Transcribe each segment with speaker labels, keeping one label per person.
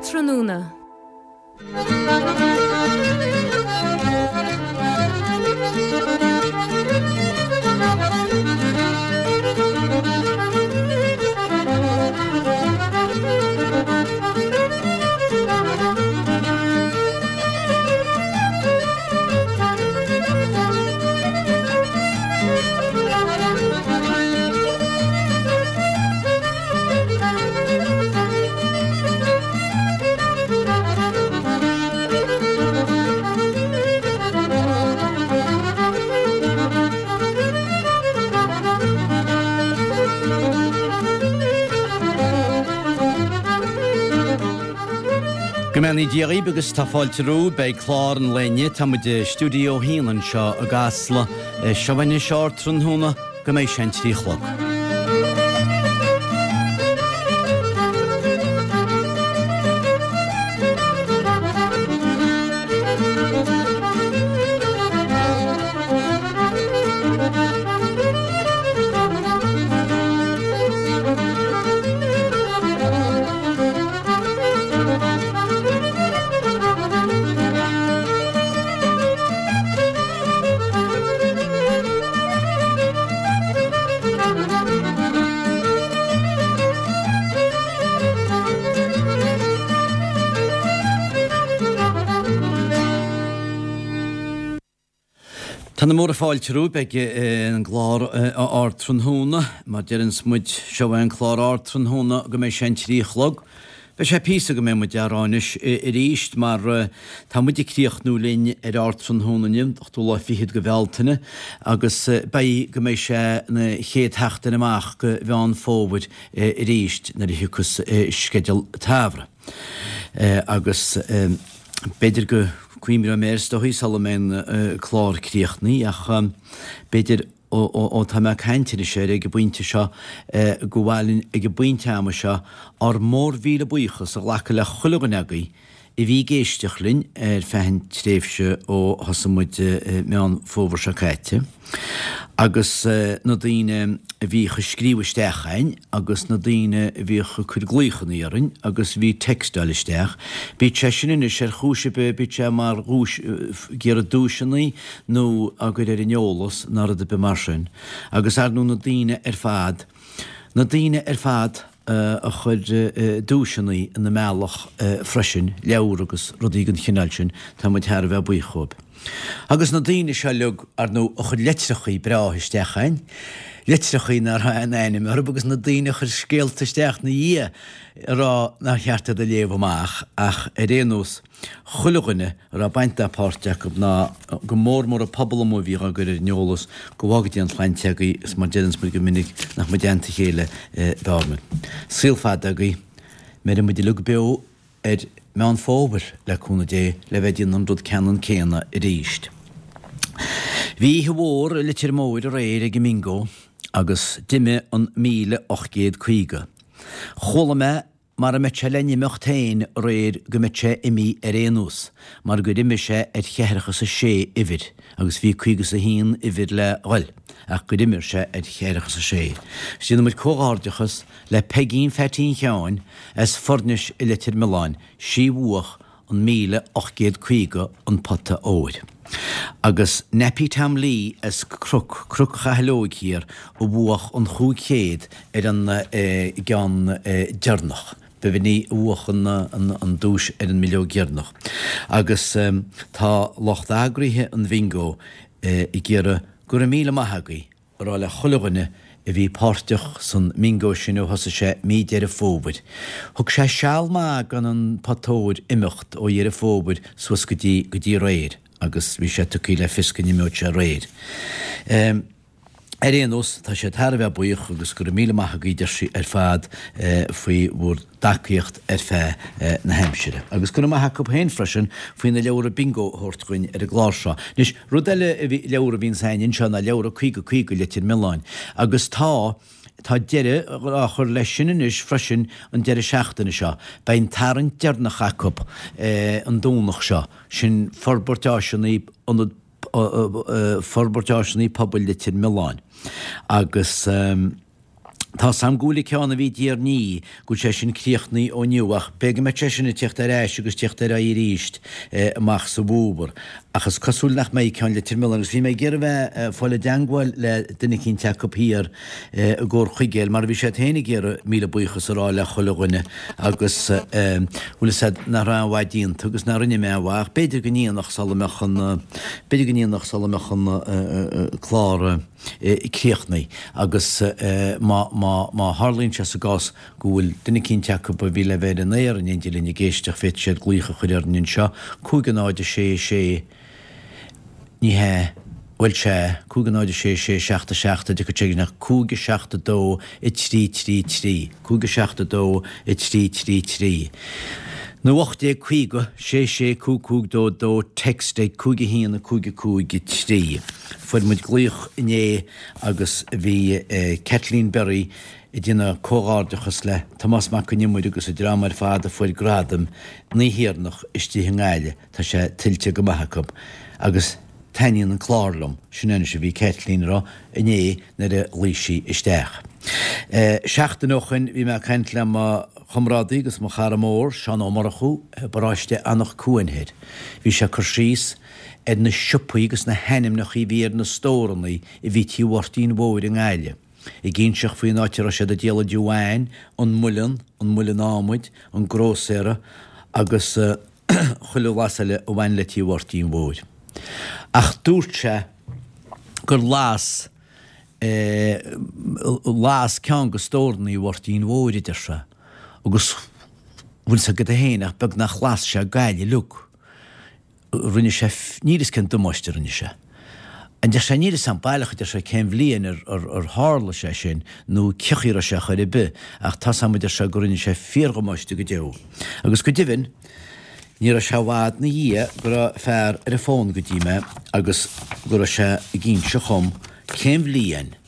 Speaker 1: Ardtráthnóna.
Speaker 2: Go mbeannaí Dia dhaoibh agus tá fáilte romhaibh. Beidh clár an lae inniu, tá muid i Stiúideo 1 anseo i gCasla. Seo anois Ardtráthnóna go mbeidh sé an 3 a chlog. Tá na múra fáilte romhaibh, beidh an gclár Ardtráthnóna, mar deireanns muid, seo é an clár Ardtráthnóna go mbeidh sé an 3 a chlog. Beidh sé píosa go mbeidh muid á rá anois arís mar tá muid ag críochnú linn ar Ardtráthnóna inniu, an ochtú lá fichead de Bhealtaine, agus beidh go mbeidh sé na chéad sheachtain amach de Mheán Fómhair arís nuair a thiocfas sceideal an tsamhraidh. Agus b'fhéidir go cuimhneoidh mé air is dóichí sula mbeidh an clár críochnaithe ach b'fhéidir Ó tá mé ag caint anois air ag an bpointe seo, gur mhaith linn ag an bpointe ama seo ár mórmhíle buíochas a ghlacadh le chuile dhuine agaibh a bhí ag éisteacht linn ar feadh an tréimhse ó thosaigh muid Meán Fómhair seo caite, agus na daoine a bhíodh ag scríobh isteach chugainn agus na daoine a bhíodh ag cur glaochanna orainn agus a bhí ag textáil isteach. Bíodh sé sin anois ar chúis ar bith, bíodh sé mar dhuais, ag iarraidh duaiseanna nó á gcur ar an eolas ná rud ar bith mar sin. Agus ar ndóigh na daoine ar fad, na daoine ar fad a chuir duaiseanna ina mbealach freisin, leabhar agus rudaí den chineál sin, tá muid thar a bheith buíoch dhóibh. Agus na daoine seo uilig, ar ndóigh, a chuir litreachaí breátha isteach chugainn, litreachaí nach raibh aon ainm orthu agus na daoine a chuir scéalta isteach 'na dhiaidh a rá nár cheart iad a léamh amach ach ar aon nós, chuile dhuine a raibh baint ná páirt acu ná go mór mór an pobal amuigh a bhíodh á gcur ar an eolas, go bhfága Dia an tsláinte agaibh is mar deireanns muid go minic nach mbeidh i dteannta a chéile b'fhearr muid. Saol fada agaibh. Mbeidh muid uilig beo ar Meán Fómhair le cúnamh Dé le bheith ag déanamh an rud ceannann céanna arís. Bhí oíche mhór i Leitir Móir aréir ag an mBingo agus d'imigh an 1850. Chuala mé Mara mbeadh sé le n-imeacht féin aréir go mbeadh sé imithe ar aon nós, mar gur imigh sé ar cheathracha 's a sé uimhir, agus bhí caoga 's a haon uimhir le ghoil, ach gur imir sé ar cheathracha 's a sé. 'S déanann muid comhghairdeachas le Peigín Pheaitín Sheáin as Foirnis i Leitir Mealláin, sí bhuach an 1850 an pota óir. Agus Nappy Tom Lee as Cnoc, Cnoc Chathail Óig thiar, a bhuach an 500 ar an gceann deireanach. B'in í a bhuach an duais ar an mbileog dheireanach. Agus tá lucht eagraithe an Bhingo ag iarraidh go raibh míle maith agaibh a rá le chuile dhuine a bhí páirteach san mbingo sin ó thosaigh sé mí Deireadh Fómhair. Thug sé seal maith gan an pota óir imeacht ó Dheireadh Fómhair suas go dtí go dtí aréir agus bhí sé tugtha le fios go n-imeodh sé aréir. Ar aon nós, tá siad thar a bheith buíoch agus go raibh míle maith agaibh deir sí ar fad faoi bhur dtacaíocht ar feadh na haimsire. Agus go raibh maith acu féin freisin faoi na leabhra bingo a thabhairt dhuinn ar an gclár seo. Anois, rud eile a bhí, leabhar a bhíonns a'inn anseo ná leabhra 50 50 Leitir Mealláin. Agus tá, tá deireadh á chur leis sin anois freisin an deireadh seachtaine seo. Beidh an tarraingt deireanach acu an Domhnach seo. Sin Forbairt Áiseanna Ionad Forbairt Áiseanna Pobail Leitir Mealláin. Agus. Tá's a'm go bhfuil an ceann a bhí i dTír an Fhia, go bhfuil sé sin críochnaithe ó inniu ach b'fhéidir go mbeidh sé sin ag tíocht ar ais agus tíocht ar aghaidh arís amach sa bhfómhar. Ach is cosúil nach mbeidh ceann Leitir Mealláin agus bhí mé ag iarraidh bheith ag fáil i dteangmháil le duine eicínt acu thiar i gComhar Chuigéil mar bhí siad féin ag iarraidh míle buíochas a rá le chuile dhuine agus bhfuil fhios a'd nach raibh aon mhaith déanta agus nach rinne mé aon mhaith ach b'fhéidir go ndéanfadh sula mbeadh an b'fhéidir go ndéanfadh sula mbeadh an clár críochnaithe agus má, má, má tharlaíonn sé sa gcás go bhfuil duine eicínt acu a bhí le bheith ar an aer in éindí linn ag éisteacht féadfaidh siad glaoch a chur orainn anseo, 5 0 6 6, ní hea, bhuel sea, 5 0 6 6 7 7 a dtiocfaidh sé ach 5 7 2 3 3 3, 5 7 2 3 3 3. Nó 1850 6 6 5 5 2 2 text ag 5 1 5 5 3. Fuair muid glaoch inné agus bhí Kathleen Berry ag déanamh comhghairdeachas le Tomás Mac Con Iomaire agus an dream ar fad a fuair gradaim na hÉireannach istigh i nGaillimh. Tá sé tuillte go maith acu. Agus taitníonn an clár liom. Sin anois a bhí Kathleen a rá inné nuair a ghlaoigh sí isteach. Seachtain ó shoin bhí mé ag caint le mo chomrádaí agus mo chara mór, Seán Ó Murchú, i bparáiste Anach Cuain Thoir. Bhí sé ag cur síos ar na siopaí agus na hainmneacha a bhí ar na stórannaí a bhí Tí Mháirtín Mhóir i nGaillimh. Ag inseacht faoin áit a raibh siad ag díol an deamhain, an muileann, an muileann adhmaid, an grósaera agus chuile bhlas eile a bhain le Tí Mháirtín Mhóir. Ach dúirt sé gur las las ceann de stórannaí Mháirtín Mhóir, a deir sé, agus bhfuil 's agat féin ach beagnach las sé Gaillimh uilig. Rinne sé, níl 'fhios cén damáiste a rinne sé. A deir sé, níl 'fhios a'm baileach, a deir sé, cén bhliain ar, ar, ar tharla sé sin nó cé chaoi a raibh sé chor ar bith, ach tá's a'm, a deir sé, go rinne sé fíordhamáiste go deo. Agus go deimhin, ní raibh sé i bhfad 'na dhiaidh go raibh fear ar an bhfón go dtí mé agus go raibh sé ag inse dhom cén bhliain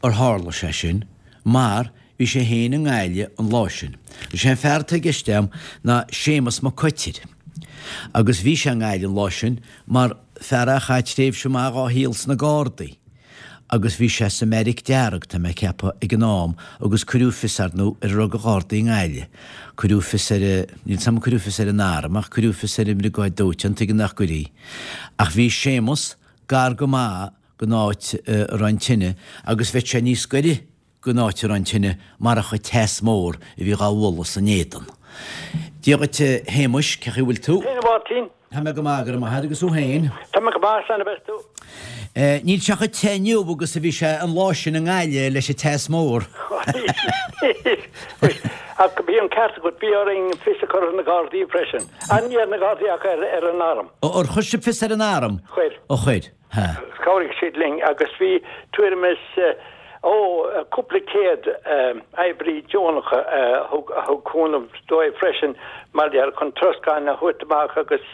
Speaker 2: ar tharla sé sin mar Bhí sé féin i nGaillimh an lá sin. Is é an fear atá i gceist agam ná Séamus Mac Coitir. Agus bhí sé i nGaillimh an lá sin mar fear a chaith tréimhse maith dhá shaol sna Gardaí. Agus bhí sé sa mBeairic Dearg, tá mé ag ceapadh, ag an am agus cuireadh fios, ar ndóigh, ar a raibh de Ghardaí i nGaillimh. Cuireadh fios ar a, níl 's agam ar cuireadh fios ar an arm ach cuireadh fios ar an mBriogáid Dóiteáin, tuigim nach gcuirfí. Ach bhí Séamus gar go maith don áit a raibh an tine agus bheadh sé níos gaire gon áit a raibh an tine marach an teas mór a bhí dhá bhualadh san éadan. Dia dhuit a Shéamuis, cén chaoi a bhfuil tú?
Speaker 1: Féin a Mháirtín.
Speaker 2: Tá mé go maith, go raibh maith agat, agus thú féin?
Speaker 1: Tá mé go maith, slán a bheas tú.
Speaker 2: Níl sé chomh te inniu agus a bhí sé an lá sin i nGaillimh leis an teas mór.
Speaker 1: Ach bhí an ceart agat, bhí orainn fios a chur ar na Gardaí freisin. Ní ar na Gardaí ach ar an arm.
Speaker 2: Ar chuir sibh fios ar an arm?
Speaker 1: Chuir.
Speaker 2: Ó chuir.
Speaker 1: Ha. Chabhraigh siad linn agus bhí tuairim is, ó, cúpla céad oibrí deonacha a thug, a thug cúnamh dóibh freisin mar gheall chun troscán a thabhairt amach agus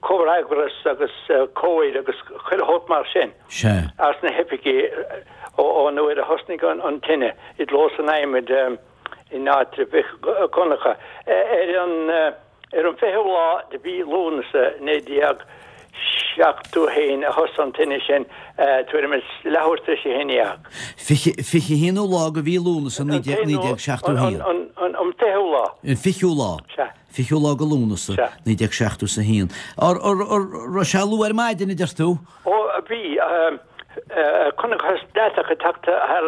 Speaker 1: comhfhreagras agus comhaid agus chuile shórt mar sin
Speaker 2: Sea.
Speaker 1: as na hoifigí ón uair a thosnaigh an tine i gclós an adhmaid in áitreabh Mhic Dhonncha ar an Ar an 20ú lá de mhí Lúnasa 1971 a thosaigh an tine sin, tuairim is leathuair tar éis a haon dhéag.
Speaker 2: 21ú lá de mhí Lúnasa 1971.
Speaker 1: An 20ú lá.
Speaker 2: An 20ú lá.
Speaker 1: Sea.
Speaker 2: 20ú lá de Lúnasa 1971. An raibh sé luath ar maidin, a deir tú?
Speaker 1: Ó, bhí. Chonacthas deatach ag teacht thar.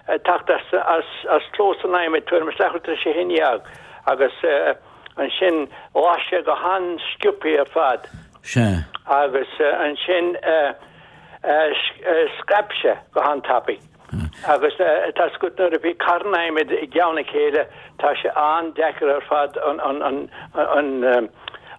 Speaker 1: ag teacht as clós an adhmaid tuairim is leathuair tar éis a haon dhéag agus ansin las sé go han-sciobthaí ar fad.
Speaker 2: Sea.
Speaker 1: Agus ansin scaip sé go han-tapaidh. Agus tá 's agat nuair a bhí carn adhmaid i gceann a chéile tá sé an-deacair ar fad an an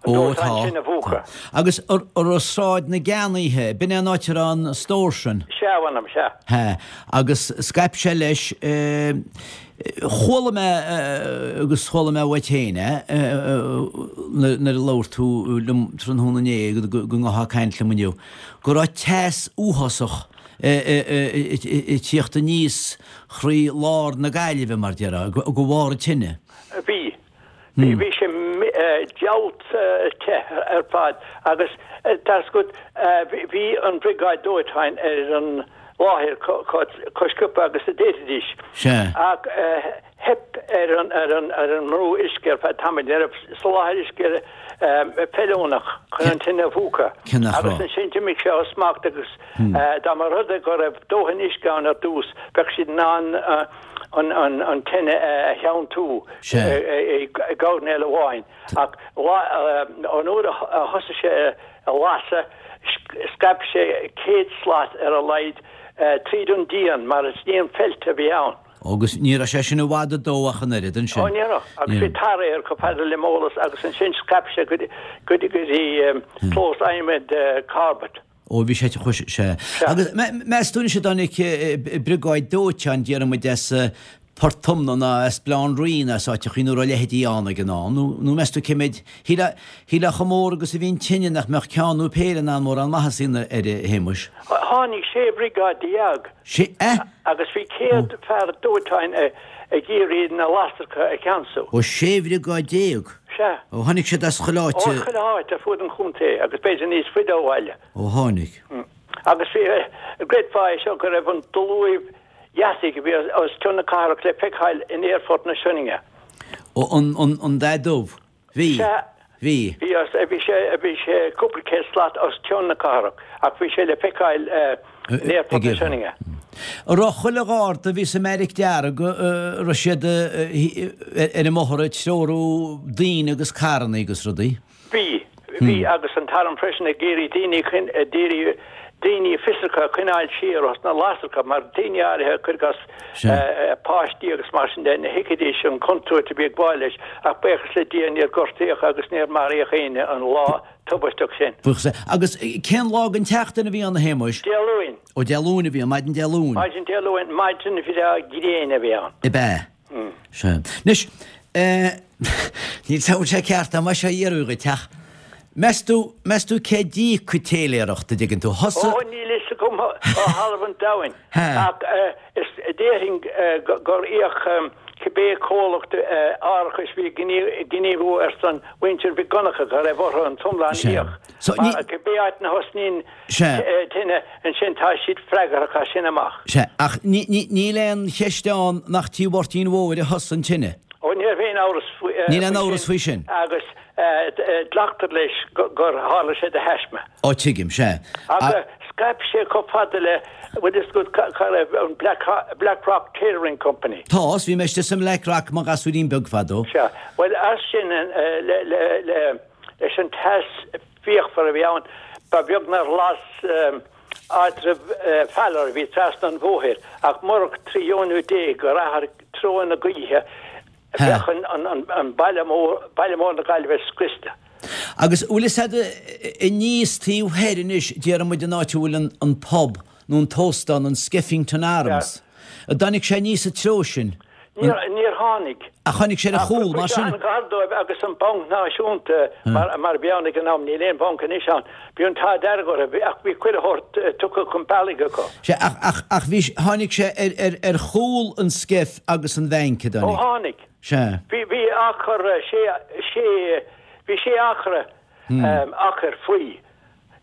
Speaker 2: Ó, tá. sin a mhúchadh. Agus an raibh Sráid na gCeannaithe, b'in é an áit a raibh an stór sin?
Speaker 1: Sea, a mh'anam, sea.
Speaker 2: Sea. Agus scaip sé leis, chuala mé, agus chuala mé uait féin é, nuair a labhair tú liom tráthnóna inné, go ngabhfá ag caint liom inniu, go raibh teas uafásach ag tíocht aníos thrí lár na Gaillimhe, mar déarfá, de bharr an tine.
Speaker 1: Bhí. Bhí sé diabhalta te ar fad agus tá 's agat bhí an bhriogáid dóiteáin ar an. láthair chomh sciobtha agus a d'fhéadfaidís.
Speaker 2: Sea.
Speaker 1: Ach theip ar an ar an ar an mbrú uisce ar feadh tamaill. Ní raibh soláthar uisce feiliúnach chun an tine a mhúchadh.
Speaker 2: Cé nach
Speaker 1: Agus
Speaker 2: raibh?
Speaker 1: ansin d'imigh sé ó smacht agus dá mba rud é go raibh dóthain uisce ann ar dtús, bheadh siad in ann an an an tine a theanntú
Speaker 2: Sea.
Speaker 1: i gcoirnéal amháin. Ach an uair a thosaigh sé a lasadh, scaip sé 100 slat ar a laghad tríd an díon mar is díon feilte a bhí ann.
Speaker 2: Agus ní raibh sé sin i bhfad ag dó ach an oiread ansin.
Speaker 1: Ó ní raibh, agus bhí tar air chomh fada le m'eolas agus ansin scaip sé go dtí clós adhmaid Corbett.
Speaker 2: Ó bhí sé, chuaigh sé. Agus meas tú anois an dtáinig briogáid dóiteáin, déarfaidh muid as Port Omna ná as Baile Átha an Rí nó as áiteachaí nó raibh a leithéidí ann ag an am, nó nó meas tú cé mhéid, shílfeá, shílfeá chomh mór agus a bhí an tine nach mbeadh ceann nó péire in ann mórán maitheasa a dhéanamh air, a Shéamuis?
Speaker 1: Tháinig 16 bhriogáid.
Speaker 2: Sé, eh?
Speaker 1: Agus bhí 100 fear dóiteáin ag iarraidh na lasracha a cheansú.
Speaker 2: Ó, 16 bhriogáid?
Speaker 1: Sea.
Speaker 2: Ó, tháinig siad as chuile áit.
Speaker 1: Ó, chuile áit ar fuaid an chontae agus b'fhéidir níos faide ó bhaile.
Speaker 2: Ó, tháinig.
Speaker 1: Agus bhí, gcreidfeá é seo, go raibh an dlúibh dheataigh a bhí os cionn na cathrach le feiceáil in Aerfort na Sionainne.
Speaker 2: Ó, an, an, an dath dubh. Bhí.
Speaker 1: Sea.
Speaker 2: Bhí.
Speaker 1: Bhí os, bhí sé, bhí sé cúpla céad slat os cionn na cathrach ach bhí sé le feiceáil in Aerfort na Sionainne.
Speaker 2: An raibh chuile gharda a bhí sa mBeairic Dearg, an raibh siad ar an mbóthar ag treorú daoine agus carranna agus rudaí?
Speaker 1: Bhí, bhí, agus an t-arm freisin ag iarraidh daoine, d'iarraidh daoine fiosracha a choinneáil siar os na lasracha mar daoine áirithe, cuir i gcás páistí agus mar sin de, ní thuigfidís an chontúirt a bhí ag gabháil leis ach buíochas le Dia níor gortaíodh agus níor maraíodh éinne an lá tubaisteach sin.
Speaker 2: Buíochas le. Agus cén lá den tseachtain a bhí ann a Shéamuis?
Speaker 1: Dé Luain.
Speaker 2: Ó Dé Luain a bhí ann, maidin Dé Luain.
Speaker 1: Maidin Dé Luain, maidin bhreá gréine a bhí ann.
Speaker 2: Ab ea? Sea. Anois, níl 's a'm an bhfuil sé ceart dom é seo a iarraidh dhuit ach meas tú, meas tú cé d'íoc an téiléireacht, a dtuigeann tú?
Speaker 1: Thosaigh. Ó, níl fhios agam ó thalamh an domhain ach is déarfainn gur íoc cibé comhlacht árachais a bhí ag gníomhú ar son mhuintir Mhic Dhonncha go raibh orthu an t-iomlán a íoc. Mar cibé áit ina thosnaíonn tine, ansin tá siad freagrach as sin amach.
Speaker 2: Sea, ach níl aon cheist ann nach Tí Mháirtín Mhóir a thosaigh an tine.
Speaker 1: Ó, ní raibh aon amhras faoi sin.
Speaker 2: Níl aon amhras faoi sin.
Speaker 1: Agus glactar leis gur tharla sé de thaisme.
Speaker 2: Ó, tuigim, sea.
Speaker 1: Ach scaip sé chomh fada le, bhfuil fhios agat cá raibh an Black Rock Tailoring Company?
Speaker 2: Tá, 's bhí mé istigh sa mBlack Rock i mo ghasúirín beag fadó.
Speaker 1: Sea, bhuel as sin le leis an teas fíochmhar a bhí ann, ba bheag nár las áitreabh Feller a bhí trasna an bhóthair, ach murach trí dheonú Dé gur athraigh treo na gaoithe, bheadh an baile mór, baile mór na Gaillimhe scriosta.
Speaker 2: Agus bhfuil fhios a'd aníos taobh thoir anois, déarfaidh muid an áit a bhfuil an pub nó an t-óstán, an Skeffington Arms, an dtáinig sé aníos sa treo sin?
Speaker 1: Níor tháinig.
Speaker 2: Ach tháinig sé ar a chúl, mar sin.
Speaker 1: An gar dóibh agus an Banc Náisiúnta, mar a bhí ann ag an am, níl aon bhanc anois ann, bhí an t-ádh dearg orthu, ach bhí chuile shórt tugtha chun bealaigh acu.
Speaker 2: Sea, ach, ach, ach bhí, tháinig sé ar, ar, ar chúl an Skeff agus an bhainc, a dtáinig?
Speaker 1: Ó tháinig.
Speaker 2: Sea.
Speaker 1: Bhí, bhí achar sé, sé, bhí sé acra, achar faoi.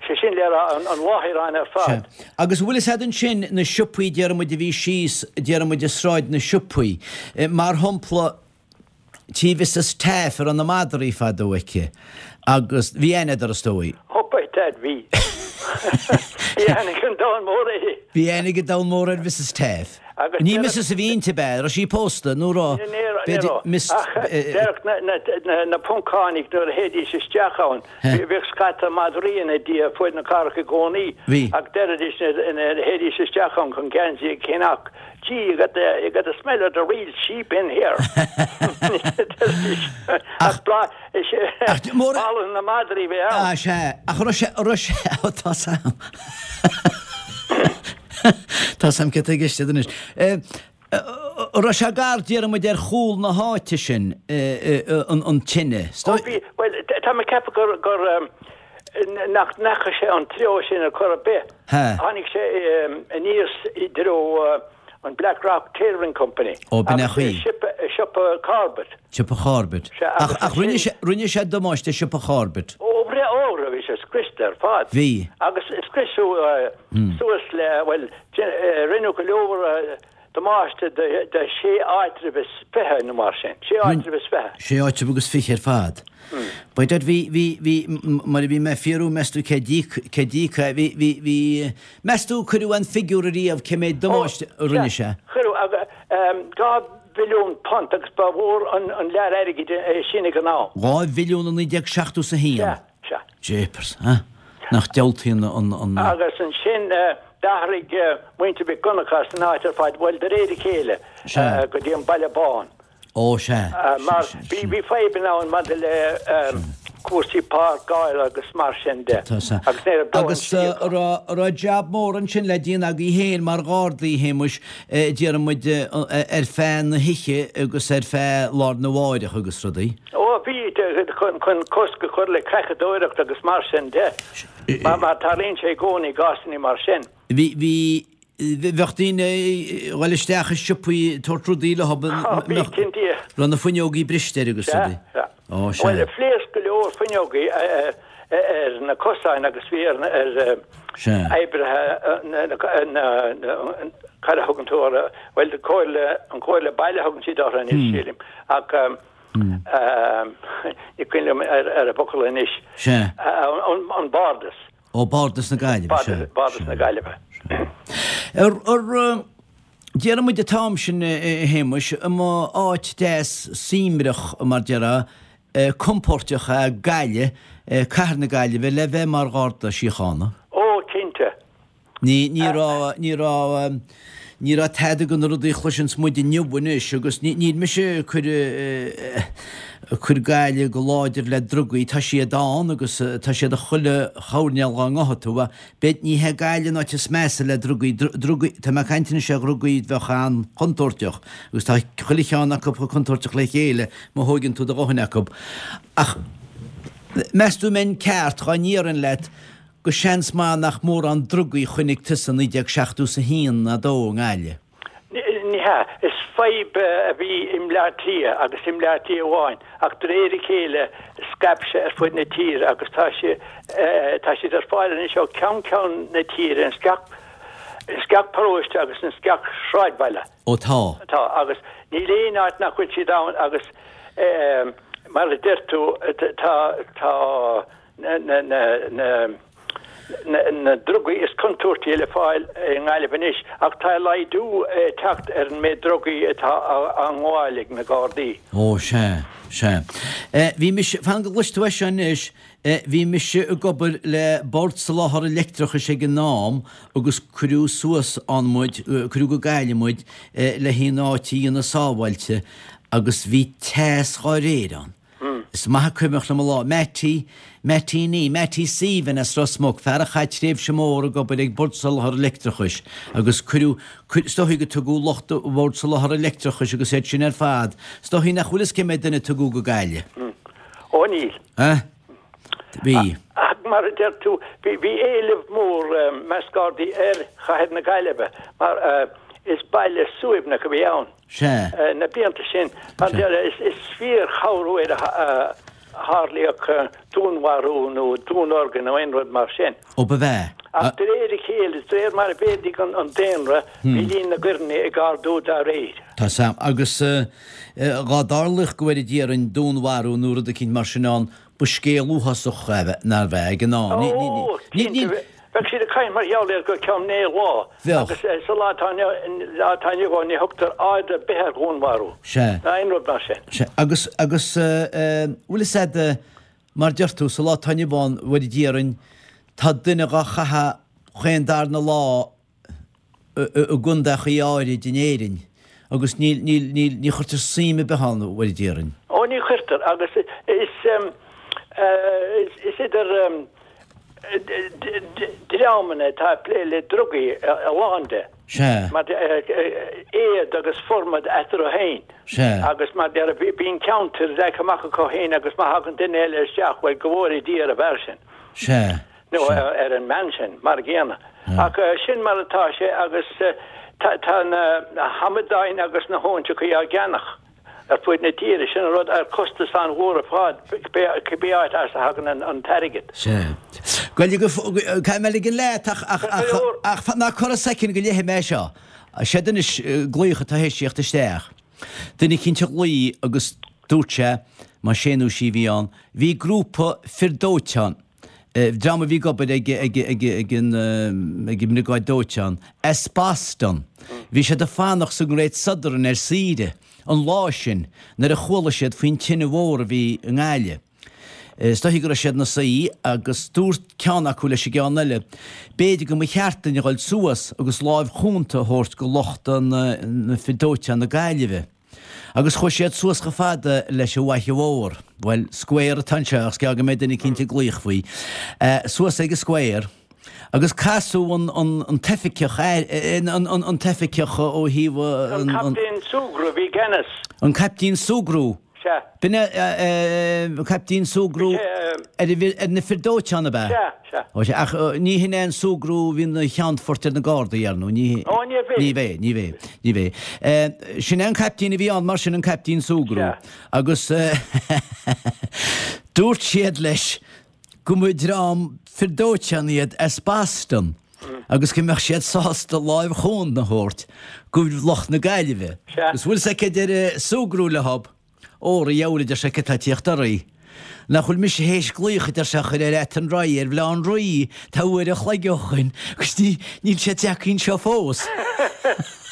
Speaker 1: Sé sin le rá an láithreán ar fad.
Speaker 2: Sea. Agus bhfuil fhios a'd ansin na siopaí déarfaidh muid a bhí síos déarfaidh muid i Sráid na Siopaí, mar shampla tí Mhrs Taaffe a raibh na madraí fadó aici agus bhí aithne a'd uirthi is dóigh.
Speaker 1: Ó by dad bhí. Bhí aithne ag an domhan mór uirthi.
Speaker 2: Bhí aithne ag an domhan mór ar Mhrs Taaffe.
Speaker 1: Agus
Speaker 2: Ní Mrs a bhí inti ab ea? Raibh sí pósta nó raibh?
Speaker 1: Ní raibh.
Speaker 2: Miss.
Speaker 1: Ach déarfadh na Poncánaigh nuair a théidís isteach ann, bhíodh scata madraí ina diaidh fuaid na cathrach i gcónaí ach deiridís nuair a théidís isteach ann chun geansaí a cheannach, Gee, you got the, you got the smell of the real sheep in here. Ach boladh na madraí a bhí ann.
Speaker 2: Ah, sea. Ach raibh sé, raibh sé, ó tá 's a'm. Tá 's a'm céard atá i gceist agat anois. Raibh sé gar, déarfaidh muid, ar chúl na háite sin, an tine.
Speaker 1: Ó bhí, bhuel, tá mé ag ceapadh gur, gur, nach ndeachaigh sé an treo sin ar chor ar bith. Tháinig sé aníos i dtreo an Black Rock Tailoring Company.
Speaker 2: Ó, b'in é an chaoi.
Speaker 1: Agus siopa Corbett.
Speaker 2: Siopa Corbett.
Speaker 1: Sea,
Speaker 2: agus Ach rinne sé, rinne sé damáiste siopa Corbett.
Speaker 1: Ó, ó, bhí sé. sé scriosta ar fad.
Speaker 2: Bhí.
Speaker 1: Agus scriosadh suas le, bhuel, rinneadh go leor damáiste do shé áitreabh is 20 nó mar sin. Sé áitreabh is 20.
Speaker 2: Sé áitreabh agus 20 ar fad. By dad, bhí, bhí, bhí, mar a bhí mé ag fiafraí, meas tú cé d'íoc, cé d'íoc é, bhí, bhí, bhí, meas tú cuireadh aon figiúr ariamh cé méid damáiste a rinne sé?
Speaker 1: Cuireadh, £2 mhilliún agus ba mhór an lear airgid é sin ag an am.
Speaker 2: 2 mhilliún i 1971?
Speaker 1: Sea, sea.
Speaker 2: Jeepers, huh? Nach diabhaltaí an, an, an.
Speaker 1: Agus ansin d'athraigh muintir Mhic Dhonncha as an áit ar fad, bhuel, de réir a chéile, go dtí an Baile Bán.
Speaker 2: Ó, sea.
Speaker 1: Mar bhí fadhbanna ann maidir le cúrsaí páirceála agus mar sin de.
Speaker 2: Tá sea. Agus ní raibh dóthain Agus an raibh, an raibh jab mór ansin le déanamh agaibh féin mar ghardaí, a Shéamuis, déarfaidh muid, ar feadh na hoíche agus ar feadh lá arna mháireach agus rudaí?
Speaker 1: Ó, bhí, chun cosc a chur le creachadóireacht agus mar sin de. Mar tarlaíonn sé i gcónaí i gcásanna mar sin.
Speaker 2: Bhí, bhí, bheadh daoine ag dhul isteach i siopaí ag tabhairt rudaí leo,
Speaker 1: Ó, bhí, cinnte.
Speaker 2: raibh na fuinneogaí briste air agus
Speaker 1: Sea,
Speaker 2: rudaí.
Speaker 1: sea.
Speaker 2: Ó, sea.
Speaker 1: Bhuel, phléasc go leor fuinneogaí ar na cosáin agus bhí ar, ar
Speaker 2: Sea.
Speaker 1: oibrithe na, na, na, cad a thugann tú orthu, bhuel, comhairle, an comhairle baile a thugann siad orthu anois, sílim, ach ní cuimhin liom ar an bhfocal anois.
Speaker 2: Sea.
Speaker 1: An, an Bardas.
Speaker 2: Ó, Bardas na Gaillimhe, sea.
Speaker 1: Bardas na Gaillimhe.
Speaker 2: Ar, ar, déarfaidh muid an t-am sin, a Shéamuis, an mba áit deas suaimhneach, mar déarfá, compóirteach é Gaillimh, cathair na Gaillimhe, le bheith mar Gharda Síochána?
Speaker 1: Ó, cinnte.
Speaker 2: Ní, ní raibh, ní raibh, ní raibh tada de na rudaí a chloiseanns muid inniu anois agus ní, níl mise ag cur, ag cur Gaillimh go láidir le drugaí, tá siad ann agus tá siad i chuile choirnéal dhá ngabhfaidh tú ach b'fhéidir, ní hé Gaillimh an áit is measa le drugaí, drugaí, tá mé ag caint anois ar dhrugaí a bheadh an-chontúirteach agus tá chuile cheann acu chomh contúirteach le chéile má thóigeann tú do dhóthain acu. Ach meas tú an mbeinn ceart dhá ndéarfainn leat gur seans maith nach mórán drugaí a chonaic tusa i 1971 ná 2 i
Speaker 1: nGaillimh. Ní hea. Is fadhb a bhí i mBleá Cliath agus i mBleá Cliath amháin ach de réir a chéile scaip sé ar fud na tíre agus tá sé tá siad ar fáil anois ó cheann ceann na tíre ins gach ins gach paróiste agus ins gach sráidbhaile.
Speaker 2: Ó tá.
Speaker 1: Tá agus níl aon áit nach bhfuil siad ann agus mar a deir tú tá tá na drugaí is contúirtí le fáil i nGaillimh anois ach tá laghdú ag teacht ar an méid drugaí atá á ngabháil ag na Gardaí.
Speaker 2: Ó, sea, sea. Bhí mise, fan go gcloisfidh tú é seo anois, bhí mise ag obair le Bord Soláthair Leictreachais ag an am agus cuireadh suas ann muid, cuireadh go Gaillimh muid le an áit a dhéanamh sábháilte agus bhí teas dhá réir ann. Is maith cuimhneach liom an lá. Mattie, Mattie ní, Mattie Stephen as Ros Muc, fear a chaith tréimhse mór ag obair ag Bord Soláthair Leictreachais agus cuireadh, is dóichí go tugadh lucht Bhord Soláthair Leictreachais agus iad sin ar fad, is dóichí nach bhfuil fhios cé méad duine a tugadh go Gaillimh.
Speaker 1: Ó níl.
Speaker 2: Eh? Bhí.
Speaker 1: Ach mar a deir tú, bhí éileamh mór i measc Gardaí ar chathair na Gaillimhe mar is baile suaimhneach a bhí ann.
Speaker 2: Sea.
Speaker 1: Na blianta sin, mar is fíor-chorruair a tharlaíodh dúnmharú nó dúnorgain nó aon rud mar sin.
Speaker 2: Ó ba bhea.
Speaker 1: Ach de réir a chéile, de réir mar a mhéadaigh an daonra, bhí líon na gcoireanna ag ardú dá réir.
Speaker 2: Tá 's a'm. Agus dhá dtarlaíodh go bhfóire Dia orainn dúnmharú nó rud eicínt mar sin ann, Ba scéal uafásach é, nárbh ea, ag an am.
Speaker 1: Ó, cinnte. Bheadh siad ag caint mar gheall air go ceann naoi lá.
Speaker 2: Bheadh.
Speaker 1: Agus sa lá atá inniu ann, ní thugtar aird ar bith ar dhúnmharú.
Speaker 2: Sea.
Speaker 1: Ná aon rud mar sin.
Speaker 2: Sea. Agus, agus, bhfuil fhios a'd, mar deir tú, sa lá atá inniu ann, bhfóire Dia orainn, tá duine dhá chaitheamh chaon darna lá i gcontaechaí áirid in Éirinn agus níl, níl, níl, ní chuirtear suim ar bith ann, a bhfóire Dia orainn.
Speaker 1: Ó, ní chuirtear agus is, is idir dreamanna atá ag plé le drugaí a lán de.
Speaker 2: Sea.
Speaker 1: Mar éad agus formad eatarthu féin.
Speaker 2: Sea.
Speaker 1: Agus mar bíonn ceantair leagtha amach acu féin agus má thagann duine eile isteach, bhuel, go bhfóire Dia ar an bhfear sin.
Speaker 2: Sea.
Speaker 1: nó ar an mbean sin, mar a gcéanna. Ach sin mar atá sé agus tá na hamadáin agus na hóinseachaí á gceannach. Ar fuaid na tíre, sin an rud, ar costas an-mhór ar fad, cibé áit as a thagann an t-airgead.
Speaker 2: Sea. Gaeilge go, caithfidh mé ligean leat ach, ach, ach, ach, ná corra soicind go léifidh mé seo. Seod anois glaoch atá théis tíocht isteach. Duine eicínt a ghlaoigh agus dúirt sé, más é nó sí a bhí ann, bhí grúpa fir dóiteáin, dream a bhí ag obair ag ag an ag an mbriogáid dóiteáin, as Boston. Bhí siad ag fanacht sa nGreat Southern ar saoire an lá sin nuair a chuala siad faoin tine mhór a bhí i nGaillimh. Is dóichí go raibh siad ina suí agus dúirt ceann acu leis an gceann eile, b'fhéidir go mba cheart duinn a dhul suas agus láimh chúnta a thabhairt go lucht na fir dóiteáin na Gaillimhe. Agus chuaigh siad suas chomh fada leis an bhFaiche Mhór, bhuel, Square atá anseo ach is gearr go mbeidh duine eicínt ag glaoch faoi, suas ag an Square, agus casadh an, an, an t-oifigeach, an, an, an t-oifigeach ó thaobh
Speaker 1: an. An Caiptín Sugrue a bhí i gceannas.
Speaker 2: An Caiptín Sugrue.
Speaker 1: Sea.
Speaker 2: B'in é Caiptín Sugrue ar na fir dóiteáin, ab ea?
Speaker 1: Sea, sea.
Speaker 2: Ó sea, ach ní hin é an Sugrue a bhí ina cheannfort ar na Gardaí, ar ndóigh, ní.
Speaker 1: Ó, ní bhé.
Speaker 2: Ní bhé, ní bhé, ní bhé. Sin é an caiptín a bhí ann, mar sin, an Caiptín Sugrue.
Speaker 1: Sea.
Speaker 2: Agus dúirt siad leis go mba dream fir dóiteáin iad as Boston agus go mbeadh siad sásta láimh chúnta a thabhairt go lucht na Gaillimhe.
Speaker 1: Sea.
Speaker 2: Agus bhfuil 's agat cad a deir Sugrue leob, Óra, a dheabhail, a deir sé, cad tá ag tíocht oraibh? Nach bhfuil mise théis glaoch, a deir sé, a chur ar Athenry ar Bhaile Átha an Rí, tá uair an chloig ó shoin, agus níl siad tagtha anseo fós.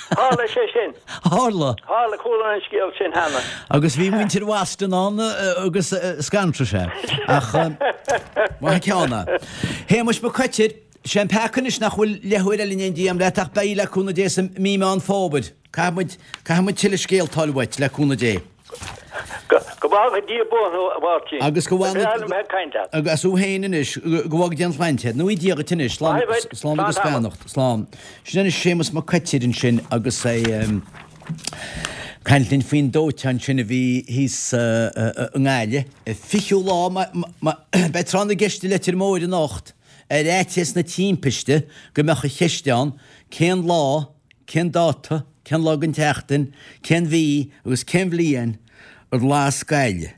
Speaker 1: Tharla sé sin.
Speaker 2: Tharla.
Speaker 1: Tharla, chuala an scéal sin cheana.
Speaker 2: Agus bhí muintir Bhoston ann agus scanraigh sé. Ach maith an ceann é. Shéamuis Mhic Coitir, sé an peaca anois nach bhfuil leathuair eile in éindí a'm leat ach beidh le cúnamh Dé sa mí Meán Fómhair. Caithfidh muid, caithfidh muid tuilleadh scéalta a fháil uait, le cúnamh Dé.
Speaker 1: Go bhfága Dia buan thú, a Mháirtín.
Speaker 2: Agus go
Speaker 1: Ba bhreá liom bheith ag caint leat.
Speaker 2: Agus thú féin anois, go bhfága Dia an tsláinte. Nó Dia dhuit anois. Slán, slán agus beannacht. Slán. Sin anois Séamus Mac Coitir ansin agus é ag caint linn faoin dóiteán sin a bhí thíos i nGaillimh. Fichiú lá, beidh tráth na gceist i Leitir Móir anocht ar fhaitíos na timpiste go mbeadh an cheist ann cén lá, Cén dáta, cén lá den tseachtain, cén mhí agus cén bhliain ar las Gaillimh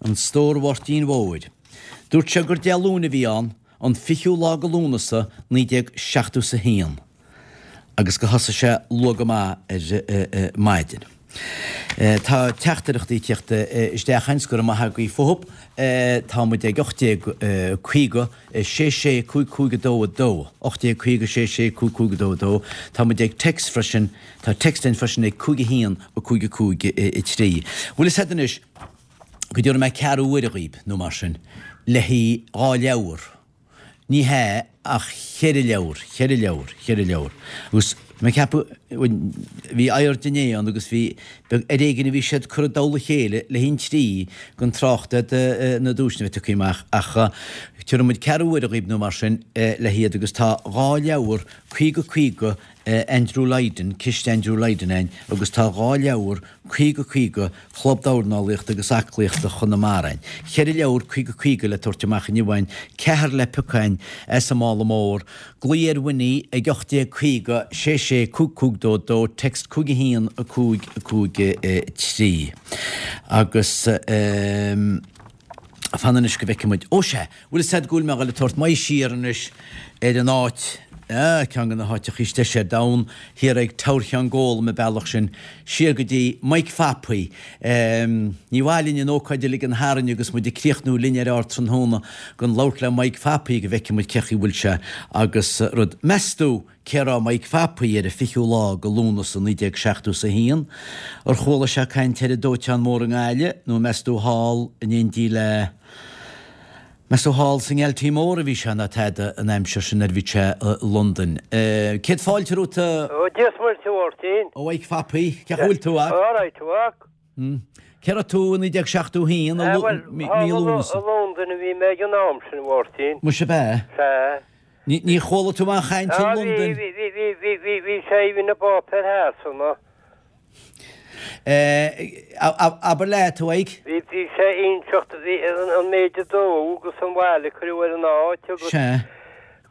Speaker 2: an Stór Mháirtín Mhóir? Dúirt sé gur Dé Luain a bhí ann, an 20ú lá de Lúnasa 1971 agus gur thosaigh sé luath go maith ar maidin. Tá teachtaireachtaí ag tíocht isteach againn, go raibh maith agaibh fúthu. Tá muid ag 1850 6 6 5 5 2 2, 1850 6 6 5 5 2 2. Tá muid ag text freisin, tá text againn freisin ag 5 1 5 5 3. Bhfuil fhios a'd anois go dtabharfaidh mé ceathrú uaire dhaoib, nó mar sin, le haghaidh dhá leabhar. Ní hea, ach cheithre leabhar, cheithre leabhar, cheithre leabhar. Agus mé ag ceapadh, bhuel, bhí aird inné ann agus bhí, beag, ar éigin a bhí siad curtha i dtoll a chéile le haghaidh an trí den trácht ar na duaiseanna a bheith tugtha amach ach tabharfaidh muid ceathrú uaire dhaoib nó mar sin le hiad agus tá dhá leabhar, 50 50 Andrew Lydon, Ciste Andrew Lydon a'inn agus tá dhá leabhar 50 50 Chlub Dornálaíochta agus Aclaíochta Chonamara a'inn. Cheithre leabhar 50 50 le tabhairt amach inniu a'inn, ceathrar le piocadh a'inn as an mála mór. Glaoigh ar Winnie ag 1850 66 55 22, text 5 1 5 5 3. Agus ehm fan anois go bhfeicfidh muid. Ó sea! Bhfuil fhios a'd go bhfuil mé a dhul ag tabhairt m'aghaidh siar anois ar an áit, ah, ceann de na háiteachaí is deise ar domhan, thiar ag Teamhair Cheann Gólaim an bealach sin, siar go dtí Mike Phapaí. Ehm, ní mhaith linn an ócáid a ligean tharainn agus muid ag críochnú linn ar Ardtráthnóna gan labhairt le Mike Phapaí go bhfeicfidh muid cé chaoi bhfuil sé agus rud. Meas tú cé raibh Mike Phapaí ar an 20ú lá de Lúnasa 1971? Ar chuala sé caint ar an dóiteán mór i nGaillimh nó meas tú thall in éindí le Meas tú thall sa nGailtimh Mór a bhí sé ná tada an aimsir sin nuair a bhí sé i Londain. Céad fáilte romhat a.
Speaker 3: Ó Dia 's Muire a Mháirtín.
Speaker 2: A Mhaidhc Phapaí, cén chaoi bhfuil tú a?
Speaker 3: All right a mhac.
Speaker 2: Cé raibh tú i 1971 i
Speaker 3: mí
Speaker 2: Lúnasa?
Speaker 3: I Londain a bhí mé ag an am sin a Mháirtín.
Speaker 2: Muise ab ea?
Speaker 3: Sea.
Speaker 2: Ní chuala tú aon chaint i Londain?
Speaker 3: Bhí, bhí, bhí, bhí, bhí, bhí sé, bhí na bpáipéir Shasana.
Speaker 2: Abair leat, a Mhaidhc.
Speaker 3: Bhí, bhí sé inseacht, bhí an méid a dódh agus an bhail a cuireadh ar an áit agus
Speaker 2: Sea.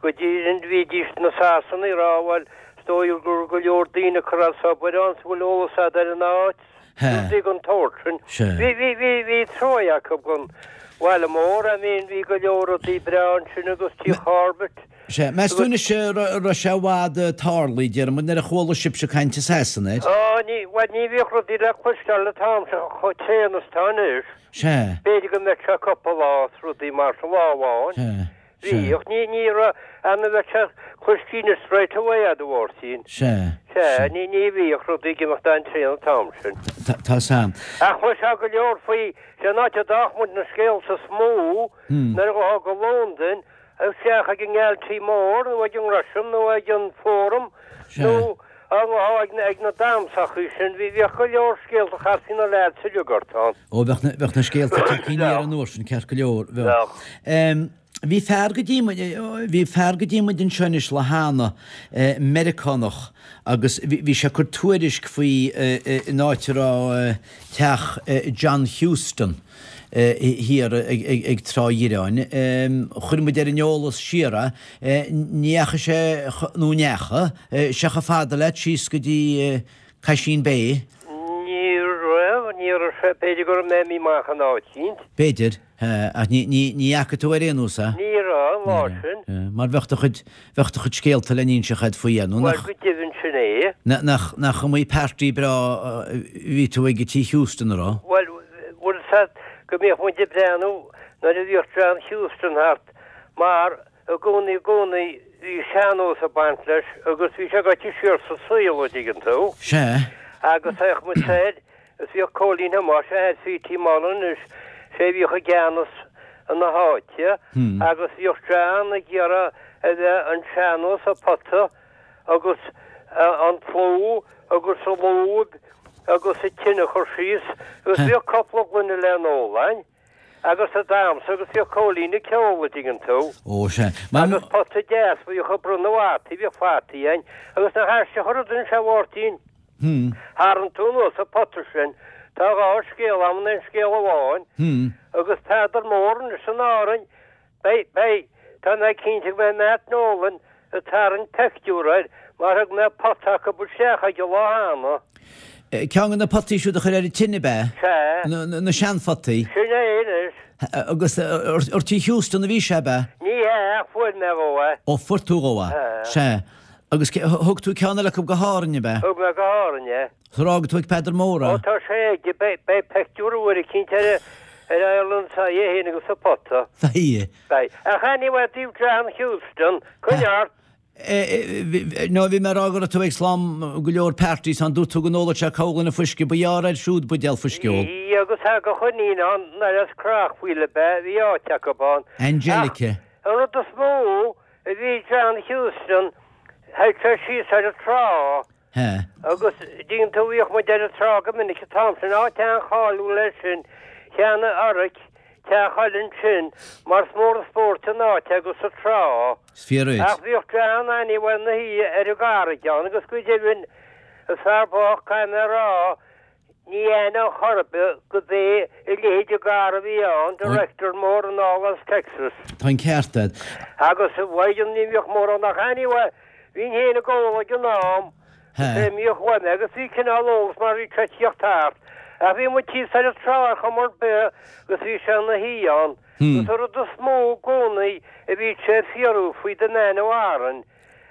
Speaker 3: go dtí, bhídís na Sasanaigh ag rá, bhuel. dóigh go raibh go leor daoine ag cur as obair ann, 's an bhfuil eolas a'd ar an áit, rudaí den tsórt sin. Bhí, bhí, bhí, bhí truaighe acu don bhaile mór, I mean bhí go leor rudaí breá ansin agus Tigh Chorbett.
Speaker 2: Sea, meas tú anois an raibh sé i bhfad tarlaithe, déarfaidh muid, nuair a chuala sibhse caint i Sasana
Speaker 3: air? Á, ní, bhuel ní bhíodh rudaí le cloisteáil an t-am sin chomh tréan is atá anois.
Speaker 2: Sea.
Speaker 3: B'fhéidir go mbeadh sé cúpla lá is rudaí mar sin, lá amháin.
Speaker 2: Sea. Sea.
Speaker 3: Bhíodh, ní, ní raibh, an bheadh sé cloistín straight away a Mháirtín.
Speaker 2: Sea.
Speaker 3: Sea, ní, ní bhíodh rudaí ag imeacht an-tréan an t-am sin.
Speaker 2: Tá, tá 's a'm.
Speaker 3: Ach chloisfeá go leor faoi, sé an áit a d'fhaigheadh muid na scéalta is mó nuair a ghabhfá go Londain, Isteach ag an nGealtaí Mór nó ag an nGresham nó ag an Forum nó ag na damhsachaí sin, bhíodh go leor scéalta chastaí na leaids uilig ort
Speaker 2: ann. Ó, bheadh na, bheadh na scéalta tagtha aniar an uair sin, ceart go leor, bheadh. Bheadh. Bhí fear go dtí muid, bhí fear go dtí muid anseo anois lá cheana, Meiriceánach, agus bhí, bhí sé ag cur tuairisc faoi an áit a raibh teach John Huston. thiar ag Trá Dhireáin. Chuir muid ar an eolas siar é. Ní dheachaigh sé, nó an ndeachaigh sé chomh fada leat síos go dtí Caisín Bay?
Speaker 3: Ní raibh, ní raibh sé, b'fhéidir go raibh mé imithe amach in áit eicínt.
Speaker 2: B'fhéidir, ach ní fhaca tú ar aon nós
Speaker 3: é? Ní raibh, an lá sin.
Speaker 2: Mar bheadh do chuid, bheadh do chuid scéalta le n-inseacht agat faoi, nó
Speaker 3: nach. Bhuel, go deimhin sin é.
Speaker 2: Nach, nach iomaí party breá a bhí tú ag i Tigh Huston, a raibh?
Speaker 3: Bhuel, bhfuil 'fhios a'd go mbíodh muid ag breathnú nuair a bhíodh John Huston thart mar i gcónaí i gcónaí bhí sean-nós ag baint leis agus bhí sé gaibhte siar sa saol, a' dtuigeann tú.
Speaker 2: Sea.
Speaker 3: Agus théadh muid soir Is bhíodh Cóilín Thomáis, athair P.T. Mullen anois, sé a bhíodh i gceannas na háite agus bhíodh John ag iarraidh a bheith an sean-nós a pota agus an tlú agus an lúib agus an tine a chur síos agus bhíodh cupla gloine le n-ól a'inn agus ag damhsa agus bhíodh Cóilín ag ceol a' dtuigeann tú.
Speaker 2: Ó sea.
Speaker 3: Agus pota deas bhíodh ag bronnadh fataí, bhíodh fataí a'inn agus nach aisteach an rud anois a Mháirtín. Tharraing tú anuas an pota sin. Tá dhá scéal a'm in aon scéal amháin. Agus Peadar Mór anois in Árainn, beidh, beidh, tá mé cinnte go mbeidh Matt Nolan ag tarraingt peictiúr air mar thug mé pota acu isteach aige lá cheana.
Speaker 2: Ceann de na potaí siúd a chuir ar an tine, ab
Speaker 3: ea? Sea.
Speaker 2: Na seanphotaí.
Speaker 3: Sin é anois.
Speaker 2: Agus ar Tigh Huston a bhí sé, ab
Speaker 3: ea? Ní hea, ach fuair mé dhó
Speaker 2: é. Ó, fuair tú dhó é. Sea. Agus thug tú ceann eile acu go hÁrainn, ab
Speaker 3: ea? Thug mé go hÁrainn
Speaker 2: é. Ar fhág tú ag Peadar Mór
Speaker 3: é? Ó tá sé aige, beidh peictiúr uair eicínt ar ar Ireland's Eye é féin agus an pota.
Speaker 2: Beidh.
Speaker 3: Beidh. Ach anyway, i dtaobh John Huston, coinnigh ort.
Speaker 2: No, bhí mé ag rá go raibh tú ag slám go leor parties ann, dúirt tú go n-óladh sé corrghloine fuisce, ba ghearr air siúd buidéal fuisce a ól.
Speaker 3: Bhí agus thagadh a iníon ann, nuair as Creachmhaoil ab ea, bhí áit acu ann.
Speaker 2: Angelica.
Speaker 3: Ach an rud is mó, a bhí John Huston, théadh sé síos ar an trá agus dtuigeann tú bhíodh muid ar an trá go minic an t-am sin, áit an-cháiliúil é sin, Cheannaigh Oric teach eile ansin mar is mór an spóirt an áit agus an
Speaker 2: trá. Is fíor
Speaker 3: duit. Ach bhíodh John anyway ina shuí ar an gcarraig ann agus go deimhin is fear bocht caithfidh mé a rá Ní aithneoinn chor ar bith go b'é a leithéid de fhear a bhí ann, director mór anall as Texas.
Speaker 2: Tá an ceart
Speaker 3: agat. Agus mhaireann ní bhíodh mórán ach anyway, bhínn féin ag ól ag an am, is é a mbíodh uaim agus bhí cineál eolas mar bhí sé ag tíocht thart. Ach bhí muid thíos ar an trá ar chuma ar bith agus bhí sé ina shuí ann. Agus an rud is mó i gcónaí a bhí sé ag fiafraí faoi The Man of Aran,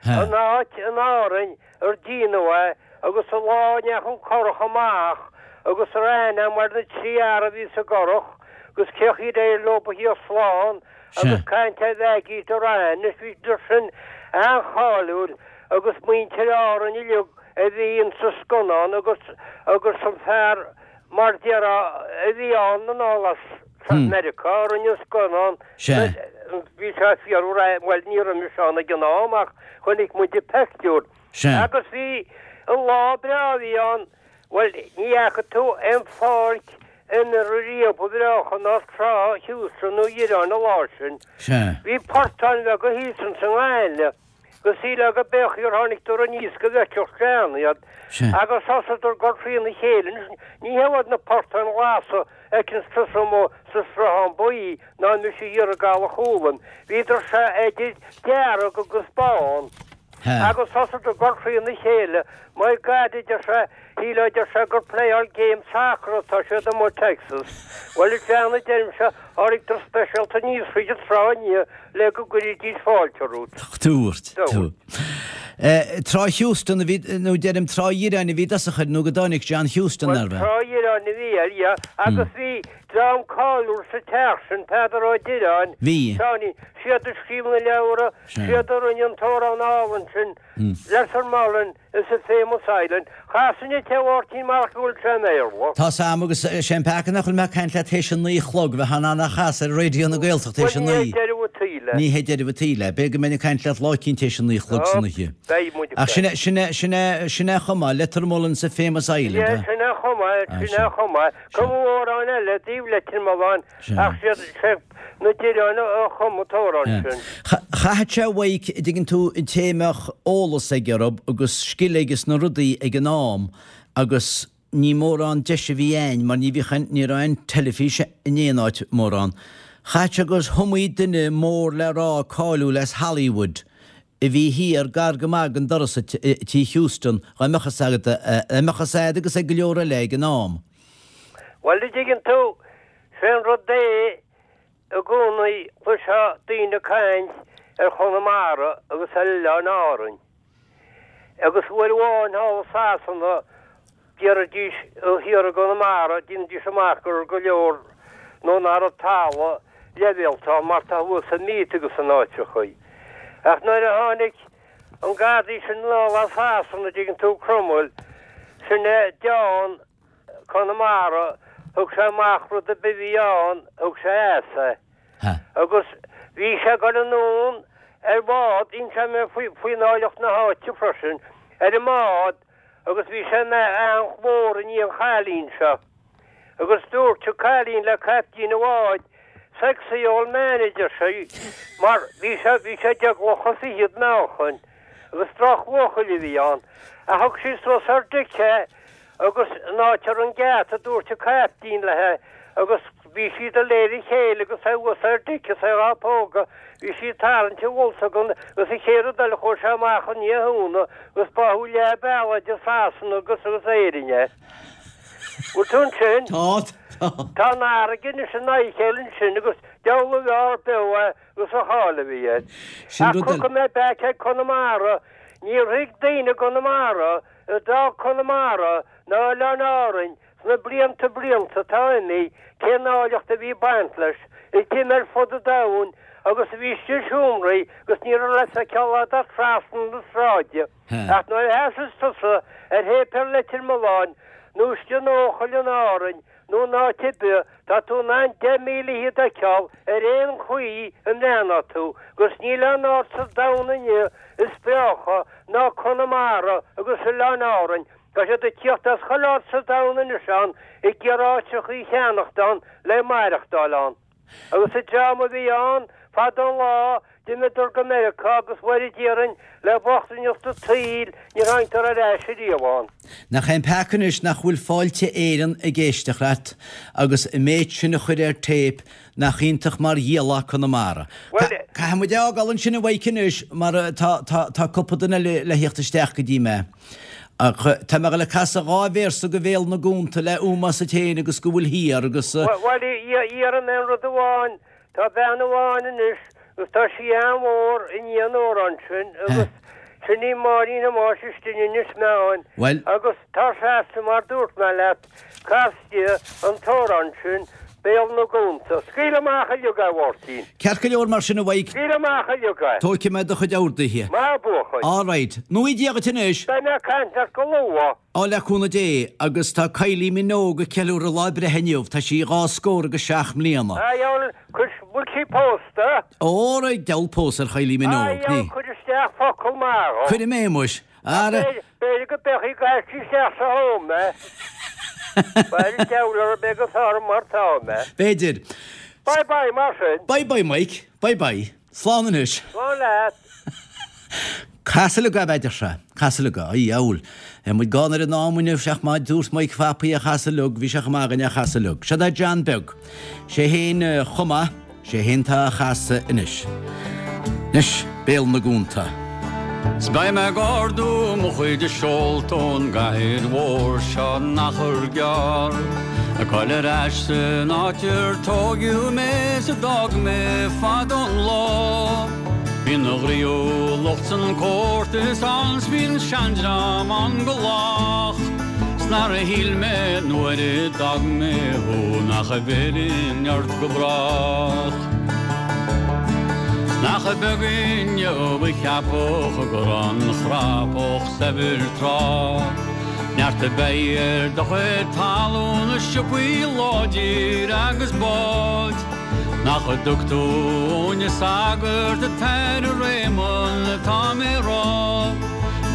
Speaker 3: An áit in Árainn ar déanadh é agus an lá a ndeachaigh an curach amach agus a raibh aithne agam ar na trí fhear a bhí sa gcurach agus cé chaoi ar éirigh leo a thíocht slán agus caint ar Mhaggie Doran anois bhíodar sin an-cháiliúil agus muintir Árainn uilig a bhí insa scannán agus agus an fear mar déarfá a bhí ann anall as Meiriceá a rinne an scannán. Bhí sé fíor bhuel ní raibh mise ann ag an am ach chonaic muid an peictiúr. Agus bhí an lá breá a bhí ann, bhuel ní fhaca tú aon pháirc imeartha riamh ba bhreácha ná trá Heuston nó Dhireáin an lá sin. Bhí portáin bheaga thíos ins an ngaineamh. Go sílfeá go b'é an chaoi ar tháinig dtor aníos go bhfeicfeadh sean iad agus thosaíodar ag dul trína chéile. Anois ní hiad na portáin ghlasa a fheiceanns tusa amuigh sa Sruthán Buí ná mise thiar i gCaladh Chualann. Bhíodar sea idir dearg agus bán. Agus thosaigh ag cur thrína chéile. My God, a deir sé, shílfeá, a deir sé, gur playáil game sacar atá siad amuigh i Texas. Bhuel, a John, a deirimse, tháinig speisialta aníos fríd an trá inniu le go gcuirfidís fáilte romhat.
Speaker 2: Dúirt tú. Trá Heuston a bhí, nó deirim Trá Dhireáin a bhí i dtosach air nó go dtáinig John Heuston,
Speaker 3: Bhuel, Trá Dhireáin a bhí air, yeah, agus bhí dream cáiliúil sa teach sin, Peadar Ó Direáin,
Speaker 2: Bhí.
Speaker 3: Seáinín, siad a scríobh na leabhra, siad a rinne an t-amhrán álainn sin, Lettermullen is a famous island. Chasfainn duit é a Mháirtín marach go bhfuil sé i mBéarla.
Speaker 2: Tá's a'm agus sé an peaca nach bhfuil mé ag caint leat théis a naoi a chlog, bheifeá in ann é a chasadh ar Raidió na Gaeltachta théis a
Speaker 3: Bhuel, ní
Speaker 2: naoi.
Speaker 3: hé deireadh an tsaoil é.
Speaker 2: Ní hé deireadh an tsaoil é. B'fhéidir go mbeinn ag caint leat lá eicínt théis a naoi a chlog san oíche.
Speaker 3: Beidh muid ag
Speaker 2: Ach sin é, sin é, sin é, sin é a chum é, Lettermullen's a famous island,
Speaker 3: Yeah,
Speaker 2: eh?
Speaker 3: sin é a chum é,
Speaker 2: Ah,
Speaker 3: sin
Speaker 2: sin.
Speaker 3: é a chum é. Cumadh amhrán eile i dtaobh Leitir Mealláin ach siad, sé na Direáin a chum an t-amhrán sin.
Speaker 2: Chaithfeadh sé uaidh, a dtuigeann tú, an té a mbeadh eolas aige orthu agus scil aige sna rudaí ag an am agus ní mórán deis a bhí a'inn mar ní bhíodh aon, ní raibh aon teilifís in aon áit mórán. Chaithfeadh sé gur iomaí duine mór le rá cáiliúil as Hollywood a bhí thiar gar go maith den doras i Tí Heuston dá mbeadh fhios agat, dá mbeadh fhios a'd agus ag go leor eile ag an am.
Speaker 3: Bhuel, a dtuigeann tú, sé an rud é i gcónaí chloisfeá daoine ag caint ar Chonamara agus ar Oileáin Árainn. Agus uair amháin thall i Sasana d'iarraidís thiar i gConamara, déanaidís amach go raibh go leor nó nach raibh talamh leibhéalta ann mar tá thuas i Meath agus in áiteachaí. Ach nuair a tháinig an gardaí sin anall as Sasana, dtuigeann tú, Cromwell, sin é deán Conamara, thug sé amach rud ar bith a bhí ann, thug sé as é. Agus bhí sé ag dul anonn ar bhád, d'inis mé faoin áilleacht na háite freisin, ar an mbád agus bhí sé ina eanch mhór i ndiaidh an chailín seo. Agus dúirt an cailín le caiptín an bháid, Sexy old man, a deir sí, mar bhí sé, bhí sé deich gclocha fichead meáchain agus drochbhuachaill a bhí ann. Ach thug sí suas ar deic é Agus in áit ar an ngeata dúirt an caiptín léi agus bhí siad go léir a chéile agus é thuas ar deic is é dhá pógadh, bhí sí ag tarraingt an bholsa agus an chéad rud eile chuaigh sé amach i ndiaidh a thóna agus báthadh leath bealaigh idir Sasana agus agus Éirinn é. Bhfuil tú ansin?
Speaker 2: Tá, tá.
Speaker 3: Tá an fharraige anois in aghaidh a chéile ansin agus deabhal a bheár beo é agus an cháil a bhí air.
Speaker 2: Sin
Speaker 3: Ach
Speaker 2: rud eile.
Speaker 3: tiocfaidh mé back ag Conamara, níor thuig daoine i gConamara a d'fhág Conamara ná Oileáin Árainn sna blianta blianta atá imithe cén áilleacht a bhí ag baint leis, a d'imigh ar fud an domhain agus a bhí istigh i seomraí agus ní raibh le feiceáil a'd ach trasna na sráide. Ach nuair a sheasas tusa ar shéipéal Leitir Mealláin nó istigh in Eochaill in Árainn nó in áit ar bith, tá tú in ann 10,000 fhichead a fheiceáil ar aon chaoi a mbreathnóidh tú, agus níl aon áit sa domhan inniu is breácha ná Conamara agus Oileáin Árainn. Tá siad ag tíocht as chuile áit sa domhan anois ann ag iarraidh áitreachaí a cheannacht ann le maireachtáil ann. Agus an dream a bhí ann fadó an lá, d'imíodar go Meiriceá agus Mhuire déarfainn le bochtaineacht an tsaoil níor tháinigdar ar ais ariamh ann.
Speaker 2: Nach é an peaca anois nach bhfuil Fáilte Éireann ag éisteacht leat agus an méid sin a chur ar téip, nach iontach mar dhíolfá Conamara.
Speaker 3: Bhuel.
Speaker 2: Caithfidh muid é a fhágáil ansin a Mhaidhc anois mar tá, tá, tá cúpla duine eile le theacht isteach go dtí mé. Ach tá mé ag dul ag casadh dhá véarsa de Bhéal na gConta le ómós duit féin agus go bhfuil thiar agus.
Speaker 3: Bhuel, iarraim aon rud amháin, tá bean amháin anois agus tá sí an-mhór i ndiaidh an amhráin sin agus sin í Máirín Thomáis istigh in Inis Meáin agus tá sé mar dúirt mé leat, Cas di an t-amhrán sin, Béal na gConta. Scaoil amach uilig é, a Mháirtín.
Speaker 2: Ceart go leor mar sin, a Mhaidhc.
Speaker 3: Scaoil amach uilig é.
Speaker 2: Tógfaidh mé do chuid orduithe.
Speaker 3: Maith, a bhuachaill.
Speaker 2: All right. Naoi Dia dhuit anois.
Speaker 3: Beidh mé ag caint leat go luath.
Speaker 2: Á, le cúnamh Dé. Agus tá Kylie Minogue ag ceiliúradh lá breithe inniu. Tá sí dhá scór agus seacht mbliana.
Speaker 3: A dheabhail, cuir, bhfuil sí pósta?
Speaker 2: Óra, deabhal pósadh ar Kylie Minogue,
Speaker 3: A dheabhail, cuir isteach focal maith dhó.
Speaker 2: Cuirfidh mé, muis.
Speaker 3: Ara. B'fhéidir go bpéacfaidh gaisce isteach sa home mé. B'fhéidir deabhal orm é go sár mar tá mé.
Speaker 2: B'fhéidir.
Speaker 3: Bye bye mar sin.
Speaker 2: Bye bye Mike. Bye bye. Slán anois.
Speaker 3: Slán leat.
Speaker 2: Cas uilig é, a deir sé. Cas uilig é. A dheabhail. Tá muid gann ar an am inniu, ach má dúirt Mike Phapaí é a chasadh uilig, bhí sé chomh maith againn é a chasadh uilig. Seod é John Beag. Sé fhéin a chum é. Sé fhéin tá á chasadh anois. Anois, Béal na gConta.
Speaker 4: 'S beidh mé ag ardú mo chuid seolta ón gcathair mhór seo in achar gearr. Ag goil ar ais san áit ar tóigeadh mé 's a d'fhág mé fadó an lá. Bíonn an ghnaíúlacht 's an comórtas ann 's bíonn seandream ann go lách. 'S nár shíl mé nuair a d'fhág mé thú nach bhfillfinn ort go brách. 'S nach beag inniu a cheapfadh go raibh an chrapach saibhir tráth. Neart beidh ar do chuid talún is siopaí láidir agus báid. Nach dtug tú uainne sagart an tAire Réamonn atá mé a rá.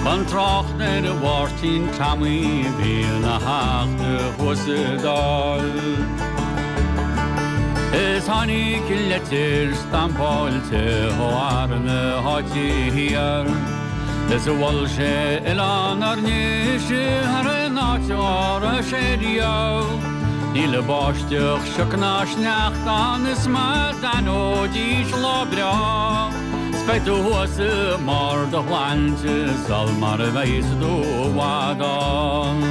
Speaker 4: Gan trácht ar Mháirtín Tommy a bhí ina theachta thuas sa Dáil. Is tháinig leitir stampáilte ó fhear na háite thiar Is mhol sé Oileán Ár nDéise thar aon áit dá raibh sé riamh. Níl báisteach, sioc ná sneachta ann is má d'aithneoidís lá breá 's beidh tú thuas i mbarr do shláinte sul mar a bheas tú i bhfad ann.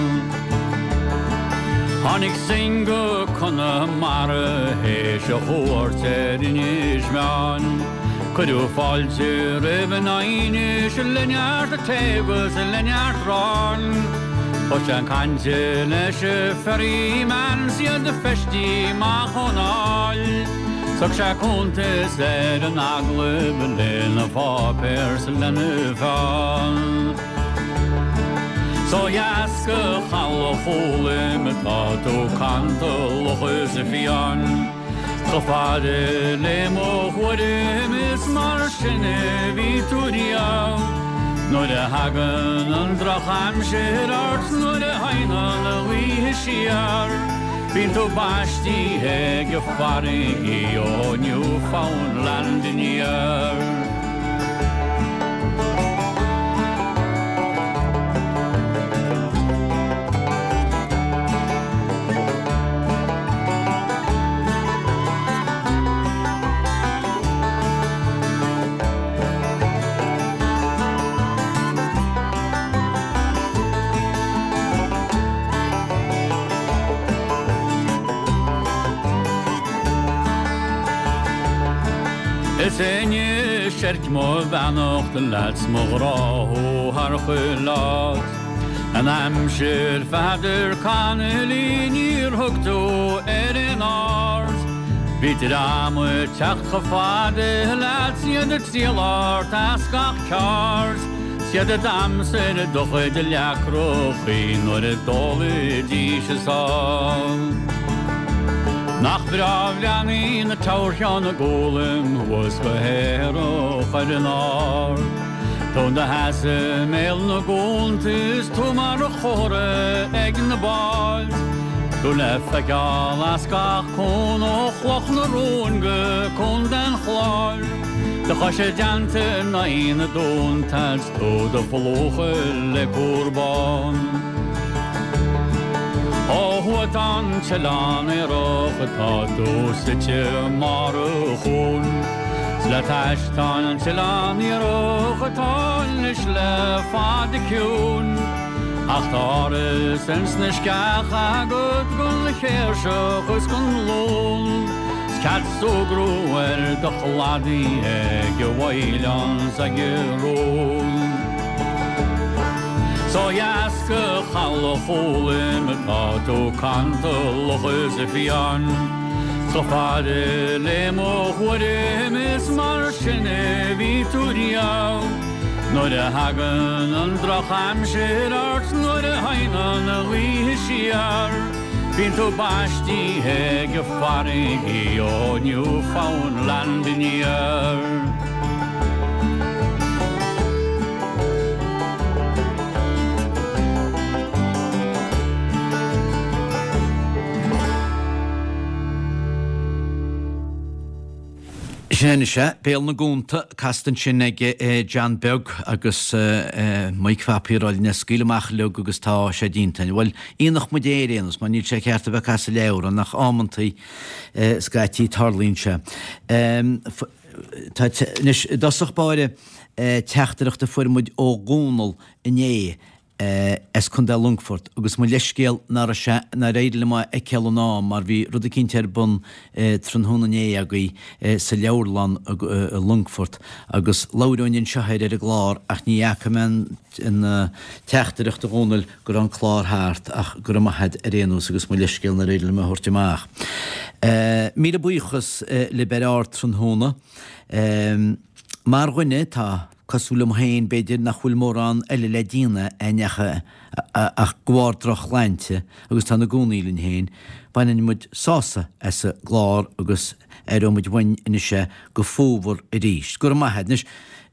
Speaker 4: Tháinig Synge go Conamara théis a chuairt ar Inis Meáin. Cuireadh fáilte roimh in Inis le neart tae agus le neart aráin. Thosaigh sé ag caint leis an ferryman 's iad feistí amach ón áill. Thug sé cuntas ar an agallamh lena pháipéar 's lena pheann. 'S ó dheas go Chaladh Chóloim atá tú cantalach is fiáin. Chomh fada le mo thuairim is mar sin a bhí tú riamh. Nuair a thagann an drochaimsir ort 's nuair a théann an ghaoth siar, bíonn tú baistithe ag farraigí ó Newfoundland aniar. Is é seirc mo bheannacht leat 's mo ghrá thú thar chuile áit. An aimsir Pheadair Connolly níor thug tú ar aon aird. Bhí dream ag teacht chomh fada leat 's iad ag triall ort as gach ceard. 'S iad a d'aimsigh do chuid leacrachaí nuair a d'ólaidís a sáith. Nach breá a bhreathnaíonn Tower Cheann na gCúlaim thuas go haerach ar an ard. Tú i do sheasamh i mbéal na gcuanta is tú mar chomhartha ag na báid. Tú le feiceáil as gach cuan ó Chloch na Rón go Contae an Chláir. Do chois i dteannta in aghaidh na dtonnta 's tú do phlúchadh le cúr bán. Ó thuaidh tá an tOileán Aerach atá tú suite i mbarr an chuain. 'S le t'ais tá an tOileán Iathrach atá anois le fada ciúin. Ach tá áras ins na sceacha agat gon chéirseach is gon lún. 'S cead súgradh ar do chladaí ag an bhfaoileán 's ag an rún. 'S ó dheas go Chaladh Chóloim atá tú cantalach is fiáin. Chomh fada le mo thuairim is mar sin a bhí tú riamh. Nuair a thagann an drochaimsir ort nuair a théann an ghaoth siar, bíonn tú baistithe ag farraigí ó Newfoundland aniar.
Speaker 2: Sin anois é, Béal na gCuanta, casta ansin ag John Beag agus Mike Phapaí ag rá linn scaoil amach uilig agus tá sé déanta. Bhuel, ionach muid é ar aon nós, mar níl sé ceart a bheith ag casadh leabhrán ach amantaí scaití tarlaíonn sé. Tá, anois, i dtosach báire. Teachtaireacht a fuair muid ó Dhónal inné as Contae Longfort agus mo leithscéal nach raibh sé, nár éirigh liom é a fheiceáil in am mar bhí rud eicínt ar bun tráthnóna inné agaibh sa leabharlann i Longfort agus labhróinn anseo air ar an gclár ach ní fhaca mé an teachtaireacht a Dhónaill go raibh an clár thart ach go raibh maith a't ar aon nós agus mo leithscéal nár éirigh liom é a thabhairt amach. Míle buíochas libh ar Ardtráthnóna. Mar dhuine atá cosúil liom féin, b'fhéidir nach bhfuil mórán eile le déanamh againn ach de bharr drochshláinte agus tá ina gcónaí linn féin, baineann muid sásamh as an gclár agus aireoidh muid uainn anois é go fómhar arís. Go raibh maith a't. Anois,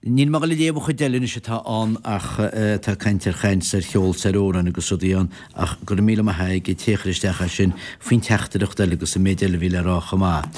Speaker 2: níl mé ag dul a léamh an chuid eile anois atá ann ach tá caint ar chaint 's ar cheol 's ar amhráin agus rudaí ann ach go raibh míle maith ag an té a chuir isteach é sin faoin teachtaireacht eile agus an méid eile a bhí le rá chomh maith.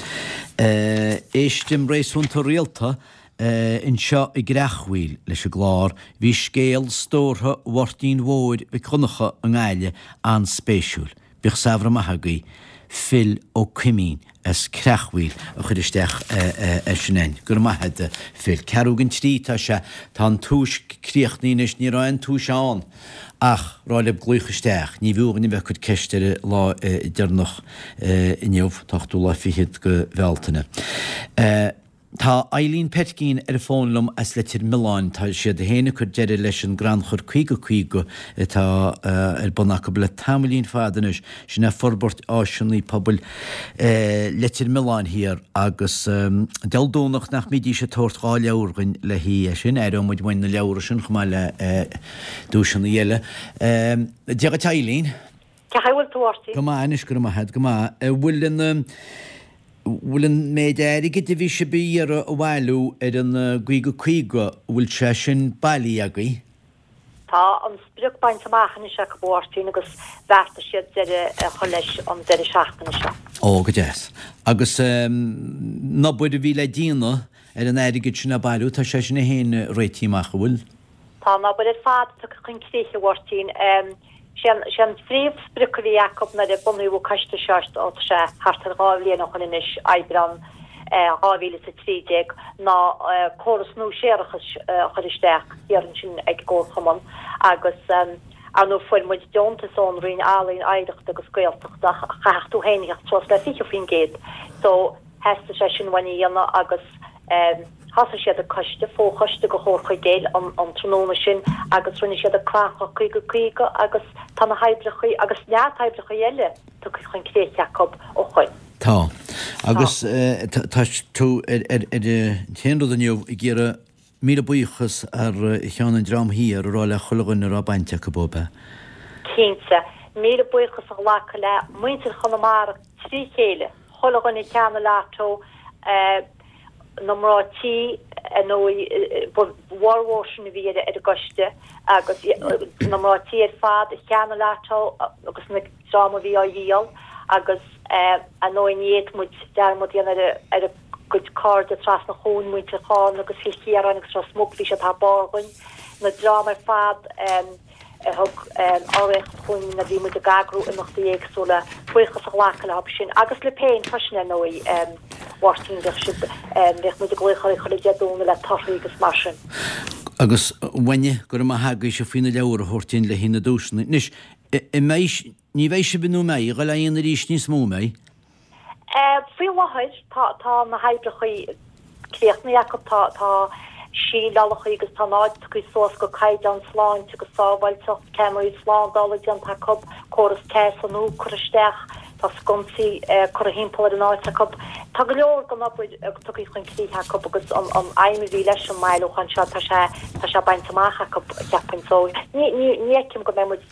Speaker 2: Éistim réasúnta rialta anseo i gCreachmhaoil leis an gclár. Bhí scéal stórtha Mháirtín Mhóir Mhic Dhonncha i nGaillimh an-spéisiúil. Bíodh samhradh maith agaibh. Phil Ó Coimín as Creachmhaoil a chuir isteach é sin a'inn. Go raibh maith a'd a Phil. Ceathrú don trí atá sé. Tá an tomhas críochnaithe anois. Ní raibh aon tomhas ann ach rá libh glaoch isteach. Ní bhfiú dhuinn a bheith ag cur ceist ar an lá deireanach inniu, an t-ochtú lá fichead de Bhealtaine. Tá Eileen Petkeen ar an bhfón liom as Leitir Mealláin. Tá siad féin ag cur deireadh leis an gcrannchur 50 50 atá ar bun acu le tamaillín fada anois. Sin é forbairt áiseanna pobail Leitir Mealláin thiar agus Dé Domhnach nach mbídís ag tabhairt 2 leabhar dhuinn le haghaidh é sin. Aireoidh muid uainn na leabhra sin chomh maith le duaiseanna eile. Dia dhuit Eileen.
Speaker 5: Cén chaoi a bhfuil tú, a Mháirtín?
Speaker 2: Go maith anois, go raibh maith a't, go maith. An bhfuil an, bhfuil an méid airgid a bhí sibh a iarraidh a bhailiú ar an gcaoga caoga, an bhfuil sé sin bailithe agaibh?
Speaker 5: Tá an sprioc bainte amach anois acu, a Mháirtín, agus bheartaigh siad deireadh a chur leis an deireadh seachtaine seo.
Speaker 2: Ó, go deas. Agus an obair a bhí le déanamh ar an airgead sin a bhailiú, tá sé sin féin réitithe amach, an bhfuil?
Speaker 5: Tá an obair ar fad tugtha chun críche, a Mháirtín. Sé an, sé an phríomhsprioc a bhí acu nuair a bunaíodh an coiste seo, ó tá sé thart ar 2 bhliain ó shoin anois, Aibreán 2013, ná córas nua séarachais a chur isteach thiar ansin ag an gComharchumann agus ar ndóigh fuair muid deontas ón Roinn Ealaíon, Oidhreachta agus Gaeltachta ach chaithfeadh tú féin a theacht suas le 20% so theastaigh sé sin uainn a dhéanamh agus Thosaigh siad an coiste, fo-choiste de Chomhar Chuigéil an tráthnóna sin agus rinne siad an crannchur 50 50 agus tá na hoibreachaí agus neart oibreachaí eile tugtha chun críche acu ó shoin.
Speaker 2: Tá. Agus tá tú ar an t-aon rud inniu ag iarraidh míle buíochas thar cheann an dream thiar a rá le chuile dhuine a raibh baint acu, ab ea?
Speaker 5: Cinnte. Míle buíochas a ghlacadh le muintir Chonamara trí chéile, chuile dhuine a cheannaigh lotto, na mná tí, ar ndóigh, ba bhformhór sin a bhí ar an gcoiste agus na mná tí ar fad a cheannaigh lotto agus na dream a bhí á dhíol agus ar ndóigh ní fhéadfadh muid dearmad a dhéanamh ar a gcuid cairde trasna an chuain, muintir Chárna agus Chill Chiaráin agus Ros Muc, bhí siad thar barr dhuinn, na dream ar fad. a thug urraíocht chugainn nuair a bhí muid ag eagrú imeachtaí éagsúla, buíochas a ghlacadh leo sin agus libh féin freisin ar ndóigh, a Mháirtín, bhíodh sibh, bhíodh muid ag glaoch oraibh chuile Dé Domhnaigh le torthaí agus mar sin.
Speaker 2: Agus a Mhaine, go raibh maith agaibhse faoi na leabhair a thabhairt dúinn le haghaidh na duaiseanna. Anois, an mbeidh, ní bheidh sibh nó an mbeidh, ag dul á dhéanamh arís níos mó, an mbeidh?
Speaker 5: Faoi láthair tá na hoibreachaí críochnaithe acu, tá síleálachaí agus tá an áit tugtha suas go caighdeán sláinte agus sábháilteacht, ceamaraí slándála déanta acu, córas teasa nua curtha isteach, tá sconsaí curtha thimpeall ar an áit acu. Tá go leor den obair tugtha chun críche acu agus an aidhm a bhí leis an mbailiúchán seo, tá sé tá sé bainte amach acu, cheapfainn. So ní fheicim go mbeidh muid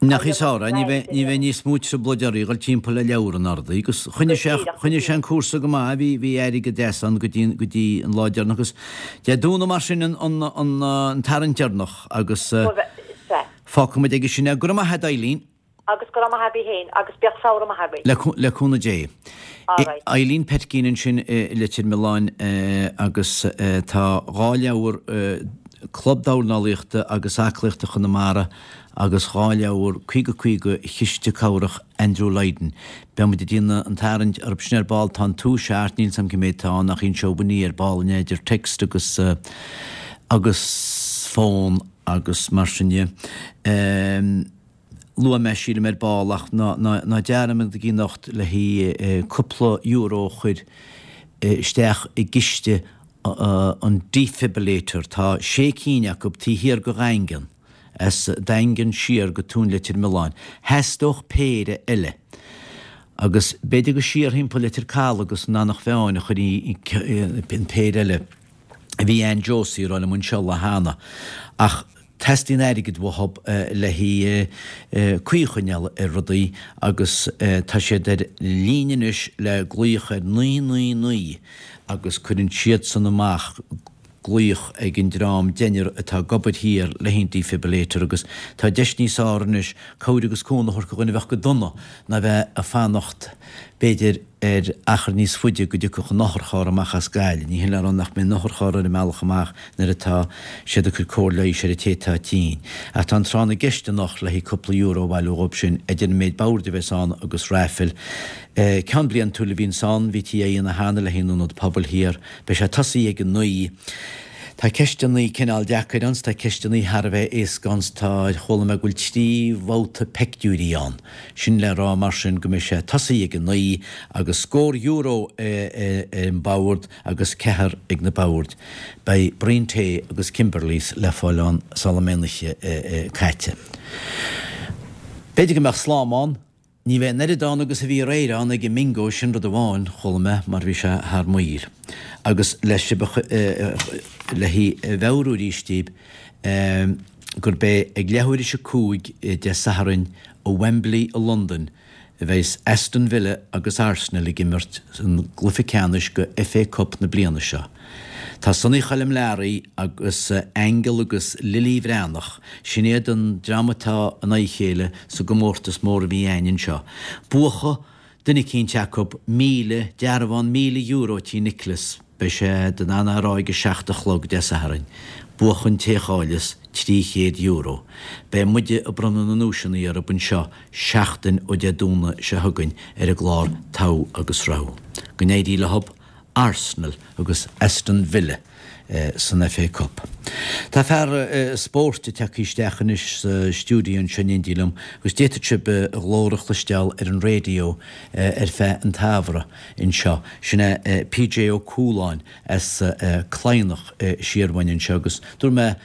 Speaker 2: Nach í Sara, ní bheidh, ní bheidh níos mó trioblóid oraibh dhul timpeall le leabhar in ardaí agus choinnigh sé, choinnigh sé an cúrsa go maith, bhí, bhí airgead deas ann go dtí, go dtí an lá deireanach agus Dé Domhnaigh mar sin an, an, an, an tarraingt deireanach agus fágfaidh muid aige sin é. Go raibh maith agat Eileen.
Speaker 5: Agus go raibh maith agaibh féin agus bíodh samhradh maith agaibh.
Speaker 2: Le, le cúnamh Dé.
Speaker 5: Alright.
Speaker 2: Eileen Petkeen ansin i Leitir Mealláin agus tá 2 leabhar Club Dornálaíochta agus Aclaíochta Chonamara agus 2 leabhar 50 50 Chiste Cabhrach Andrew Lydon. Beidh muid ag déanamh an tarraingt orthu sin ar ball. Tá an tomhas thart, níl 's a'm cé méid atá ann ach inseoidh Winnie ar ball inné idir text agus. Agus fón agus mar sin dhe. Luafaidh mé, sílim, ar ball ach ná ná dearmadaigí anocht le haghaidh cúpla euro a chur isteach i gciste an defibrillator. Tá sé cinn acu taobh thiar go Dhaingean, as Daingean siar go Tóin Leitir Mealláin. Theastódh péire eile. Agus b'fhéidir go siar thimpeall Leitir Caladh agus an Eanach Mheáin a chuirfí an péire eile. a bhí Ann Josie ag rá liom anseo lá cheana, ach teastaíonn airgead uathub le haghaidh caoi a choinneáil ar rudaí agus tá siad ar líne anois le glaoch ar 999 agus cuireann siadsan amach glaoch ag an dream deichniúr atá ag obair thiar le haghaidh an defibrillator agus tá deis níos fearr anois cabhair agus cúnamh a thabhairt do dhuine a bheadh go dona ná bheith ag fanacht b'fhéidir ar achar níos faide go dtiocfadh an otharcharr amach as Gaillimh. Ní hin le rá nach mbeidh an otharcharr ar an mbealach amach nuair atá siad ag cur cóir leighis ar an té atá tinn. Ach tá an tráth na gceist anocht le haghaidh cúpla euro a bhailiú dhóibh sin, idir an méid boird a bheas ann agus raifil. Ceann bliantúil a bhíonns ann, bhítí á dhéanamh cheana le haghaidh an Ionad Pobail thiar. Beidh sé tosaithe ag a naoi. Tá ceisteannaí cineál deacair ann 's tá ceisteannaí thar a bheith éasca ann 's tá, chuala mé go bhfuil trí bhabhta peictiúirí ann. Sin le rá mar sin go mbeidh sé tosaithe ag a naoi agus scór euro ar an bord agus ceathar ag na boird. Beidh braon tae agus Kimberleys le fáil ann sula mbeidh an oíche caite. B'fhéidir go mbeadh slám ann. Ní bheidh an oiread ann agus a bhí aréir ann ag an mbingo, sin rud amháin, chuala mé, mar bhí sé thar maoil. Agus le sibh a le a mheabhrú arís daoibh, gurb é ag leathuair théis a 5 Dé Sathairn i Wembley i Londain a bheas Aston Villa agus Arsenal ag imirt san gcluiche ceannais go FA Cup na bliana seo. Tá Sonny Choilm Learaí agus Aingeal agus Lily Bhreathnach, sin iad an dream atá in aghaidh a chéile sa gcomórtas mór a bhí a'ainn anseo. Buafaidh duine eicínt acu 1,000, dearbhán €1,000 tí Nicholas. Beidh sé in ann a rá ag a seacht a chlog Dé Sathairn. Buafaidh an té a chaillfeas €300. Beidh muide ag bronnadh na nduaiseanna orthub anseo seachtain ó Dé Domhnaigh seo chugainn ar an gclár Togha agus Rogha. Go n-éirí leothub, Arsenal agus Aston Villa san FA Cup. Tá fear spóirt ag teacht isteach anois sa stiúideo anseo in éindí liom agus d'fhéadfadh sibh a ghlór a chloisteáil ar an raidió ar feadh an tsamhraidh. anseo. Sin é PJ Ó Cualáin as Cladhnach siar uainn anseo agus dúirt mé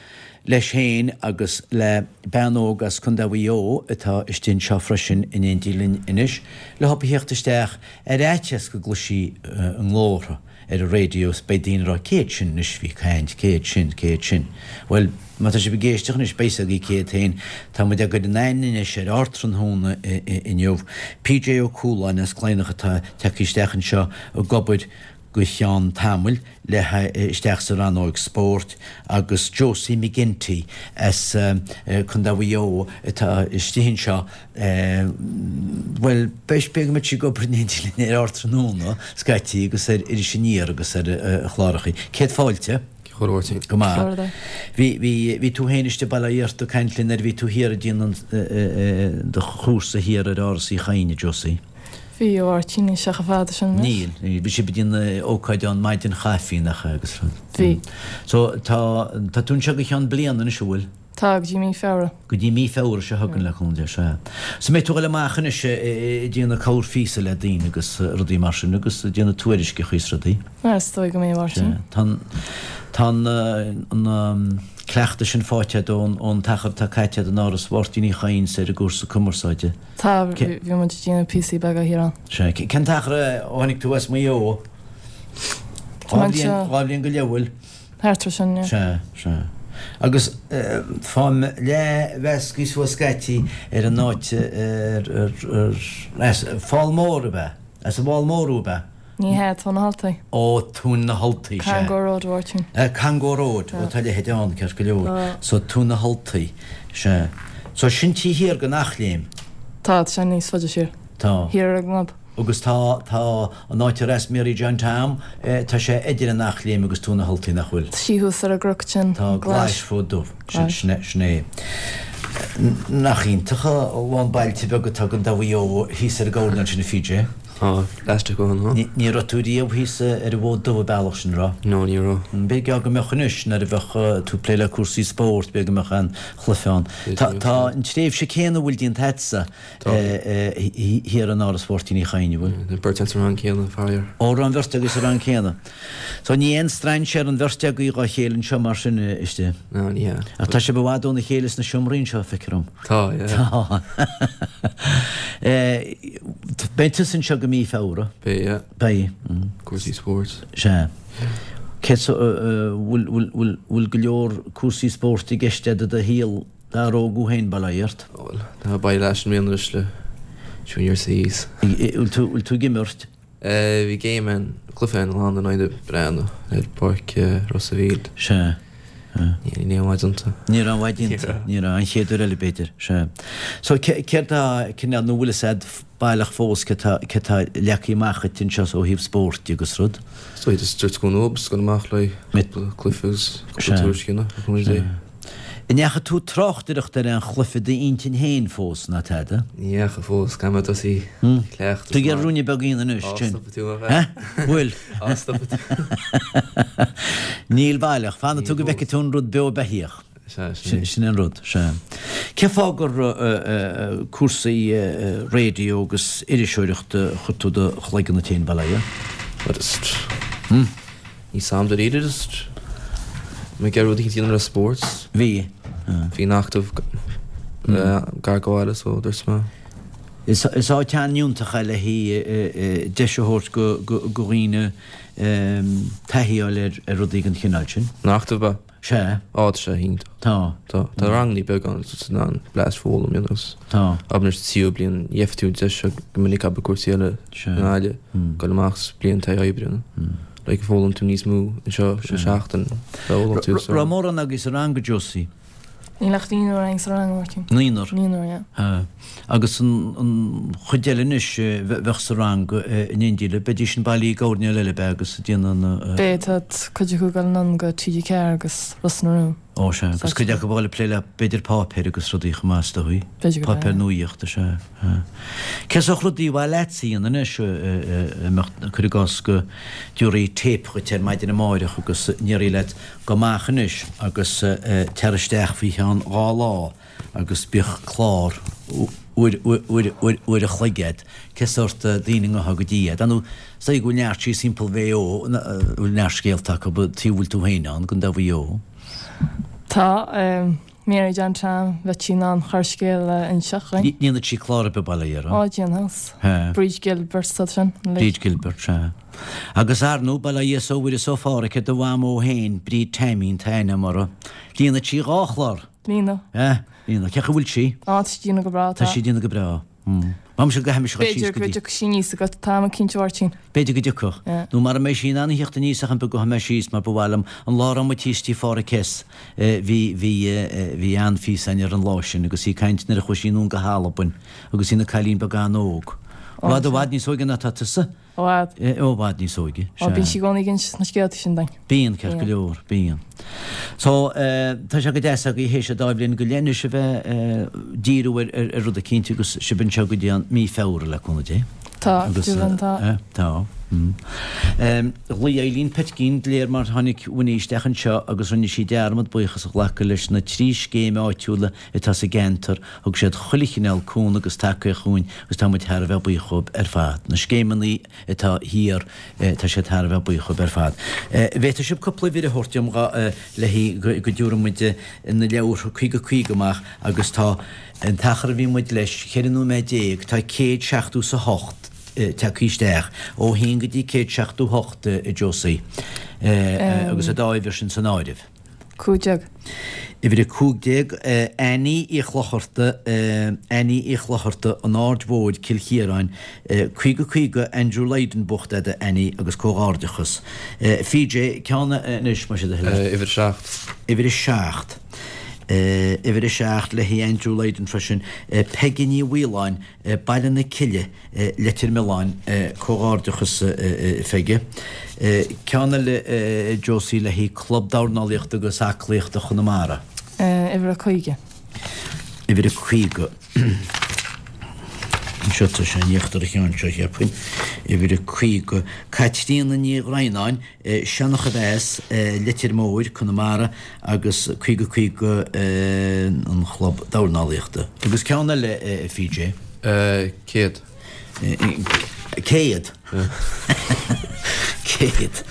Speaker 2: leis féin agus le bean óg as Contae Mhaigh Eo atá istigh anseo freisin in éindí linn anois, leothub a theacht isteach ar fhaitíos go gcloisfí a nglórtha ar an raidió is beidh daoine ag rá cé hiad sin anois a bhí ag caint, cé hiad sin, cé hiad sin. Bhuel, má tá sibh ag éisteacht anois, beidh a fhios agaibh cé hiad féin. Tá muid á gcur in aithne anois ar Ardtráthnóna inniu. PJ Ó Cualáin as Cladhnach atá tagtha isteach anseo ag obair go cheann tamaill le isteach sa rannóig spóirt agus Josie McGinty as Contae Mhaigh Eo atá istigh anseo Bhuel, beidh go mbeidh sí ag obair in éindí linn ar Ardtráthnóna scaití agus ar Iris Aniar agus ar chlárachaí. Céad fáilte.
Speaker 6: Chuir Mháirtín.
Speaker 2: Go maith. Bhí, bhí, bhí tú féin istigh Baile Átha Fhirdha ag caint linn nuair a bhí tú thiar ag déanamh do chúrsa thiar ar Áras Uí Chadhain, a Josie.
Speaker 7: Bhí, a Mháirtín, níl sé chomh fada sin
Speaker 2: anois. Níl, níl. Bhí sibh ag déanamh ócáid ann maidin chaife, nach ea, agus rud.
Speaker 7: Bhí.
Speaker 2: So, tá, tá tú anseo go cheann bliana anois, an bhfuil?
Speaker 7: Tá, go dtí mí Feabhra.
Speaker 2: Go dtí mí Feabhra seo chugainn le cúnamh Dé, sea. So mbeidh tú ag dul amach anois ag déanamh cabhair phíosa le daoine agus rudaí mar sin agus ag déanamh tuairisceacha is rudaí.
Speaker 7: Bhuel, is dóigh go mbeidh, a Mháirtín.
Speaker 2: Sea. Tá an, tá an, an cleachtadh sin faighte agat ón, ón t-achar atá caite agat in Áras Mháirtín Uí Chadhain 's ar an gcúrsa cumarsáide.
Speaker 7: Tá, bhí muid ag déanamh píosaí beaga thiar ann.
Speaker 2: Sea. Cén t-achar ó tháinig tú as Maigh Eo?
Speaker 7: Tá mé anseo.
Speaker 2: Dhá bhliain go leith, an bhfuil?
Speaker 7: Thart ar sin, yeah.
Speaker 2: Sea, sea. Agus faighim leathmheasctha suas scaití ar an áit ar, ar, ar, as Fál Mór ab ea? As an bhFál Mór thú ab ea?
Speaker 7: Ní hea, Tóin na hAltaí.
Speaker 2: Ó, Tóin na hAltaí, sea.
Speaker 7: Cangor Road, a Mháirtín.
Speaker 2: Cangor Road, ó tá a leithéid ann, ceart go leor.
Speaker 7: Tá.
Speaker 2: So, Tóin na hAltaí, sea. So, sin taobh thiar den Eachléim.
Speaker 7: Tá, tá sé níos faide siar.
Speaker 2: Tá.
Speaker 7: Thiar ar an gCnob.
Speaker 2: Agus tá, tá an áit ar as Mary John Tom, tá sé idir an Eachléim agus Tóin na hAltaí, nach bhfuil?
Speaker 7: Tá sí thuas ar an gcnoc sin,
Speaker 2: Tá, Glais Fód Dubh, sin, sin é, sin é. Nach iontach a lán bailte beaga atá i gContae Mhaigh Eo thíos ar an gcoirnéal sin a PJ?
Speaker 6: Tá, leaisteach ó shin, huh?
Speaker 2: Ní raibh tú riamh thíos ar an bhFód Dubh an bealach sin, raibh?
Speaker 6: No, ní raibh.
Speaker 2: B'fhéidir go mbeadh anois nuair a bheadh tú ag plé le cúrsaí spóirt, b'fhéidir go mbeadh an chluiche ann. Tá an tréimhse céanna a bhfuil déanta agatsa thiar in Áras Mháirtín Uí Chadhain, an bhfuil?
Speaker 6: Tá beirt againn sa rang céanna, faraor.
Speaker 2: Ó, raibh an bheirt agaibh sa rang céanna. So ní aon strainséir an bheirt agaibh dhá chéile anseo mar sin istigh.
Speaker 6: No, ní hea.
Speaker 2: Ach tá sibh i bhfad óna chéile sna seomraí anseo, feictear dom.
Speaker 6: Tá, yeah.
Speaker 2: Tá. Beidh tusa anseo go mí Feabhra.
Speaker 6: Beidh, yeah.
Speaker 2: Beidh.
Speaker 6: Cúrsaí spóirt.
Speaker 2: Sea. Cé so, bhfuil, bhfuil, bhfuil, bhfuil go leor cúrsaí spóirt i gceist agat i do shaol dár thóg féin, bail ó Dhia ort?
Speaker 6: Bhuel, tá bail leis an mbliana anois le Junior Cs.
Speaker 2: Bhfuil tú, bhfuil tú ag imirt?
Speaker 6: Bhí game ann, cluiche ann lá in aghaidh na Breathnach ar pháirc Ros a' Mhíl.
Speaker 2: Sea.
Speaker 6: Ní raibh aon mhaith déanta.
Speaker 2: Ní raibh aon mhaith déanta. Ní raibh. An chéad uair eile b'fhéidir. Sea. So céard tá cineál, nó bhfuil fhios a'd baileach fós cé tá, cé tá leagtha amach dhuit anseo ó thaobh spóirt de agus rud?
Speaker 6: Is dóigh just dúirt go nua, just dul amach le cúpla cluiche agus cúpla tuairiscí na,
Speaker 2: Sea. An ndeachaigh tú tráchtaireacht ar aon chluiche d'intinn féin fós, ná tada?
Speaker 6: Ní dheachaigh fós, caithfidh mé tosaí ag cleachtadh.
Speaker 2: Tú ag iarraidh ruainne beag a dhéanamh anois,
Speaker 6: Á,
Speaker 2: sin.
Speaker 6: stopfaidh tú mé, a
Speaker 2: Bhuel? Bhfuil?
Speaker 6: Á, stopfaidh tú.
Speaker 2: Níl baileach. Fanfaidh tú go bhfeicfidh tú an rud beo beithíoch.
Speaker 6: Sea, sin é.
Speaker 2: Sin é an rud, sea. Cén fáth gur cúrsaí raidió agus iriseoireachta a chuir tú do chloigeann ort féin, bail ó Dhia?
Speaker 6: Bhuel, just. Níl 's a'm dáiríre just mé ag iarraidh rud éicint a dhéanamh le spórt.
Speaker 2: Bhí.
Speaker 6: Bhí an Acadamh gar do bhaile so dúirt mé.
Speaker 2: Is áit an-fhiúntach é le haghaidh deis a thabhairt go dhaoine taithí a fháil ar rudaí den chineál sin.
Speaker 6: An Acadamh ab ea?
Speaker 2: Sea.
Speaker 6: Á, tá sé iontach.
Speaker 2: Tá.
Speaker 6: Tá. Tá rangannaí beaga ann agus in ann blast foghlaim, you know, agus.
Speaker 2: Tá.
Speaker 6: Abair anois tríú bliain, gheobhaidh tú deis seo go minic abair cúrsaí eile
Speaker 2: Sea.
Speaker 6: i nGaillimh, dul amach is bliain taithí oibre, you know. Like foghlaim tú níos mó anseo sa seachtain, foghlaim tú
Speaker 2: so. Raibh mórán agaibh sa rang, a Josie?
Speaker 7: Níl ach naonúr againn sa rang, a Mháirtín.
Speaker 2: Naonúr?
Speaker 7: Naonúr, yeah.
Speaker 2: Ha. Agus an chuid eile anois a bheadh sa rang in éindí libh, beidís sin bailithe i gcoirnéal eile, ab ea, agus ag déanamh na.
Speaker 7: Beidh, tá cuid acu ag dul anonn go TG4 agus Ros na Rún.
Speaker 2: Ó, sea. Agus cuid acu ag dul ag plé le, b'fhéidir, páipéir agus rudaí chomh maith, is dóigh.
Speaker 7: B'fhéidir go
Speaker 2: Páipéir nuaíochta, sea. Ha. Cé sórt rudaí ba mhaith leatsa a dhéanamh anois, a mbeadh, cuir i gcás go dtabharfaí téip dhuit ar maidin amáireach agus ndéarfaí leat, Gabh amach anois agus tar isteach faoi cheann 2 lá agus bíodh clár uair, uair, uair, uair a chloig agat. Cé sórt daoine a ngabhfá go dtí iad? Ar ndóigh, is dóigh go bhfuil neart síos thimpeall Mhaigh Eo, a bhfuil neart scéalta acu, taobh a bhfuil tú féin ann, i gContae Mhaigh Eo.
Speaker 7: Tá. Mary John Tom, bheadh sí in ann corrscéal a inseacht dhuinn.
Speaker 2: Ndéanfaidh sí clár ar bith bail ó Dhia uirthi.
Speaker 7: Á, déanfadh.
Speaker 2: He.
Speaker 7: Bríd Gilbert sa sin.
Speaker 2: Bríd Gilbert, sea. Agus ar ndóigh, bail ó Dhia is ó Mhuire is ó Phádhraic ar do mhamó féin, Bríd Taimín, tá aithne agam uirthi. Líonfadh sí 2 chlár.
Speaker 7: Líonfadh.
Speaker 2: He, líonfadh. Cén chaoi a bhfuil sí?
Speaker 7: Á, tá sí ag déanamh go breá,
Speaker 2: tá. Tá sí ag déanamh go breá. M'amsa go gcaithfimis a dhul síos
Speaker 7: B'fhéidir
Speaker 2: go
Speaker 7: go
Speaker 2: dtí.
Speaker 7: dtiocfaidh sí aníos agat, tá mé cinnte a Mháirtín.
Speaker 2: B'fhéidir go dtiocfadh.
Speaker 7: Yeah.
Speaker 2: Nó mara mbeidh sí in ann a theacht aníos ach an beag gabhfaidh mé síos mar ba mhaith liom, an lá a raibh muid thíos tí Phádhraic S. bhí, bhí, bhí an-phíosa againn ar an lá sin agus í ag caint nuair a chuaigh sí anonn go hAlbain agus í ina cailín beag an-óg. I bhfad i bhfad níos óige ná tá tusa.
Speaker 7: I bhfad.
Speaker 2: I bhfad níos óige,
Speaker 7: sea. Ó, bíonn sí i gcónaí ag insint na scéalta sin dúinn.
Speaker 2: Bíonn, ceart go leor, bíonn. So, tá sé go deas agaibh théis an dá bhliain go leith anois a bheith ag díriú ar ar rud eicínt agus sibh anseo go dtí an mí Feabhra le cúnamh Dé.
Speaker 7: Tá, go deimhin
Speaker 2: tá. Tá. Ghlaoigh Eileen Petkeen de réir mar tháinig Winnie isteach anseo agus rinne sí dearmad buíochas a ghlacadh leis na 3 scéim áitiúla atá sa gceantar, thug siad chuile chineál cúnamh agus tacaíocht dhúinn agus tá muid thar a bheith buíoch dhóibh ar fad. Na scéimeanna atá thiar, tá siad thar a bheith buíoch dhóibh ar fad. Bhféadfadh sibh cúpla uimhir a thabhairt dom le haghaidh go dtabharfaidh muid na leabhartha 50 50 amach agus tá an t-achar a bhí muid leis, 14 nóiméad, tá 170 's a hocht tagtha isteach, ó haon go dtí 178 a Josie, agus an dá uimhir sin san áireamh.
Speaker 7: 15.
Speaker 2: Uimhir 15, Annie Uí Chlochartaigh, Annie Uí Chlochartaigh, An Aird Mhóir, Cill Chiaráin, 50 50, Andrew Lydon buachta agat a Annie agus comhghairdeachas. PJ, ceann anois, más é do thoil é.
Speaker 6: Uimhir 7.
Speaker 2: Uimhir 7. Uimhir 7 le haghaidh Andrew Lydon freisin, Peige Ní Mhaoláin, Baile na Cille, Leitir Mealláin, Comhghairdeachas a Pheige. Ceann eile a Josie le haghaidh Club Dornálaíochta agus Aclaíochta Chonamara.
Speaker 7: Uimhir a 50.
Speaker 2: Uimhir a 50. Anseo tá sé in íochtar an cheann seo, cheapfainn. Uimhir a 50. Caitríona Ní Dhroighneáin, Seancha Mheas, Leitir Móir, Conamara agus 50 50 an Chlub Dornálaíochta. Agus ceann eile, a PJ.
Speaker 6: 100.
Speaker 2: 100? 100.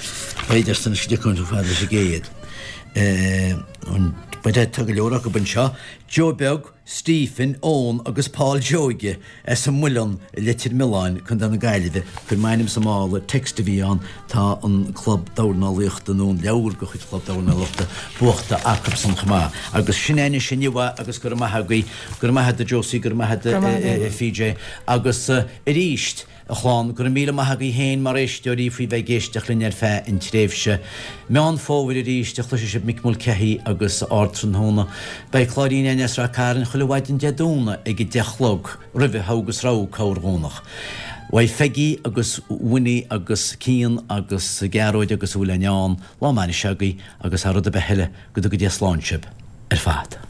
Speaker 2: B'fhéidir san is go dtiocfaidh tú fad leis an gcéad. Tá go leor acu anseo. Joe Beag, Stephen, Eoin agus Paul Seoige as an Muileann i Leitir Mealláin, Co. na Gaillimhe. Cuir m'ainm sa mála, text a bhí ann, tá an club dornálaíochta nó an leabhar de chuid chlub dornálaíochta buachta acubsan chomh maith. Agus sin é anois inniu é agus go raibh maith agaibh, go raibh maith agat a Josie, go raibh maith agat a PJ agus arís, A chlann, go raibh míle maith agaibh féin mar éisteoirí faoi bheith ag éisteacht linn ar feadh an tréimhse. Meán Fómhair arís a chloisfidh sibh Mick Mulcahy agus Ardtráthnóna. Beidh Cláirín Éanna as Rath Cairn chuile mhaidin Dé Domhnaigh ag a deich a chlog, roimhe Thogh agus Rogha corrdhomhnach. Uaidh Pheigí agus Winnie agus Cian agus Gearóid agus a bhfuil i ndán, lá maith anois agaibh agus thar rud ar bith eile, go dtuga Dia slán sibh ar fad.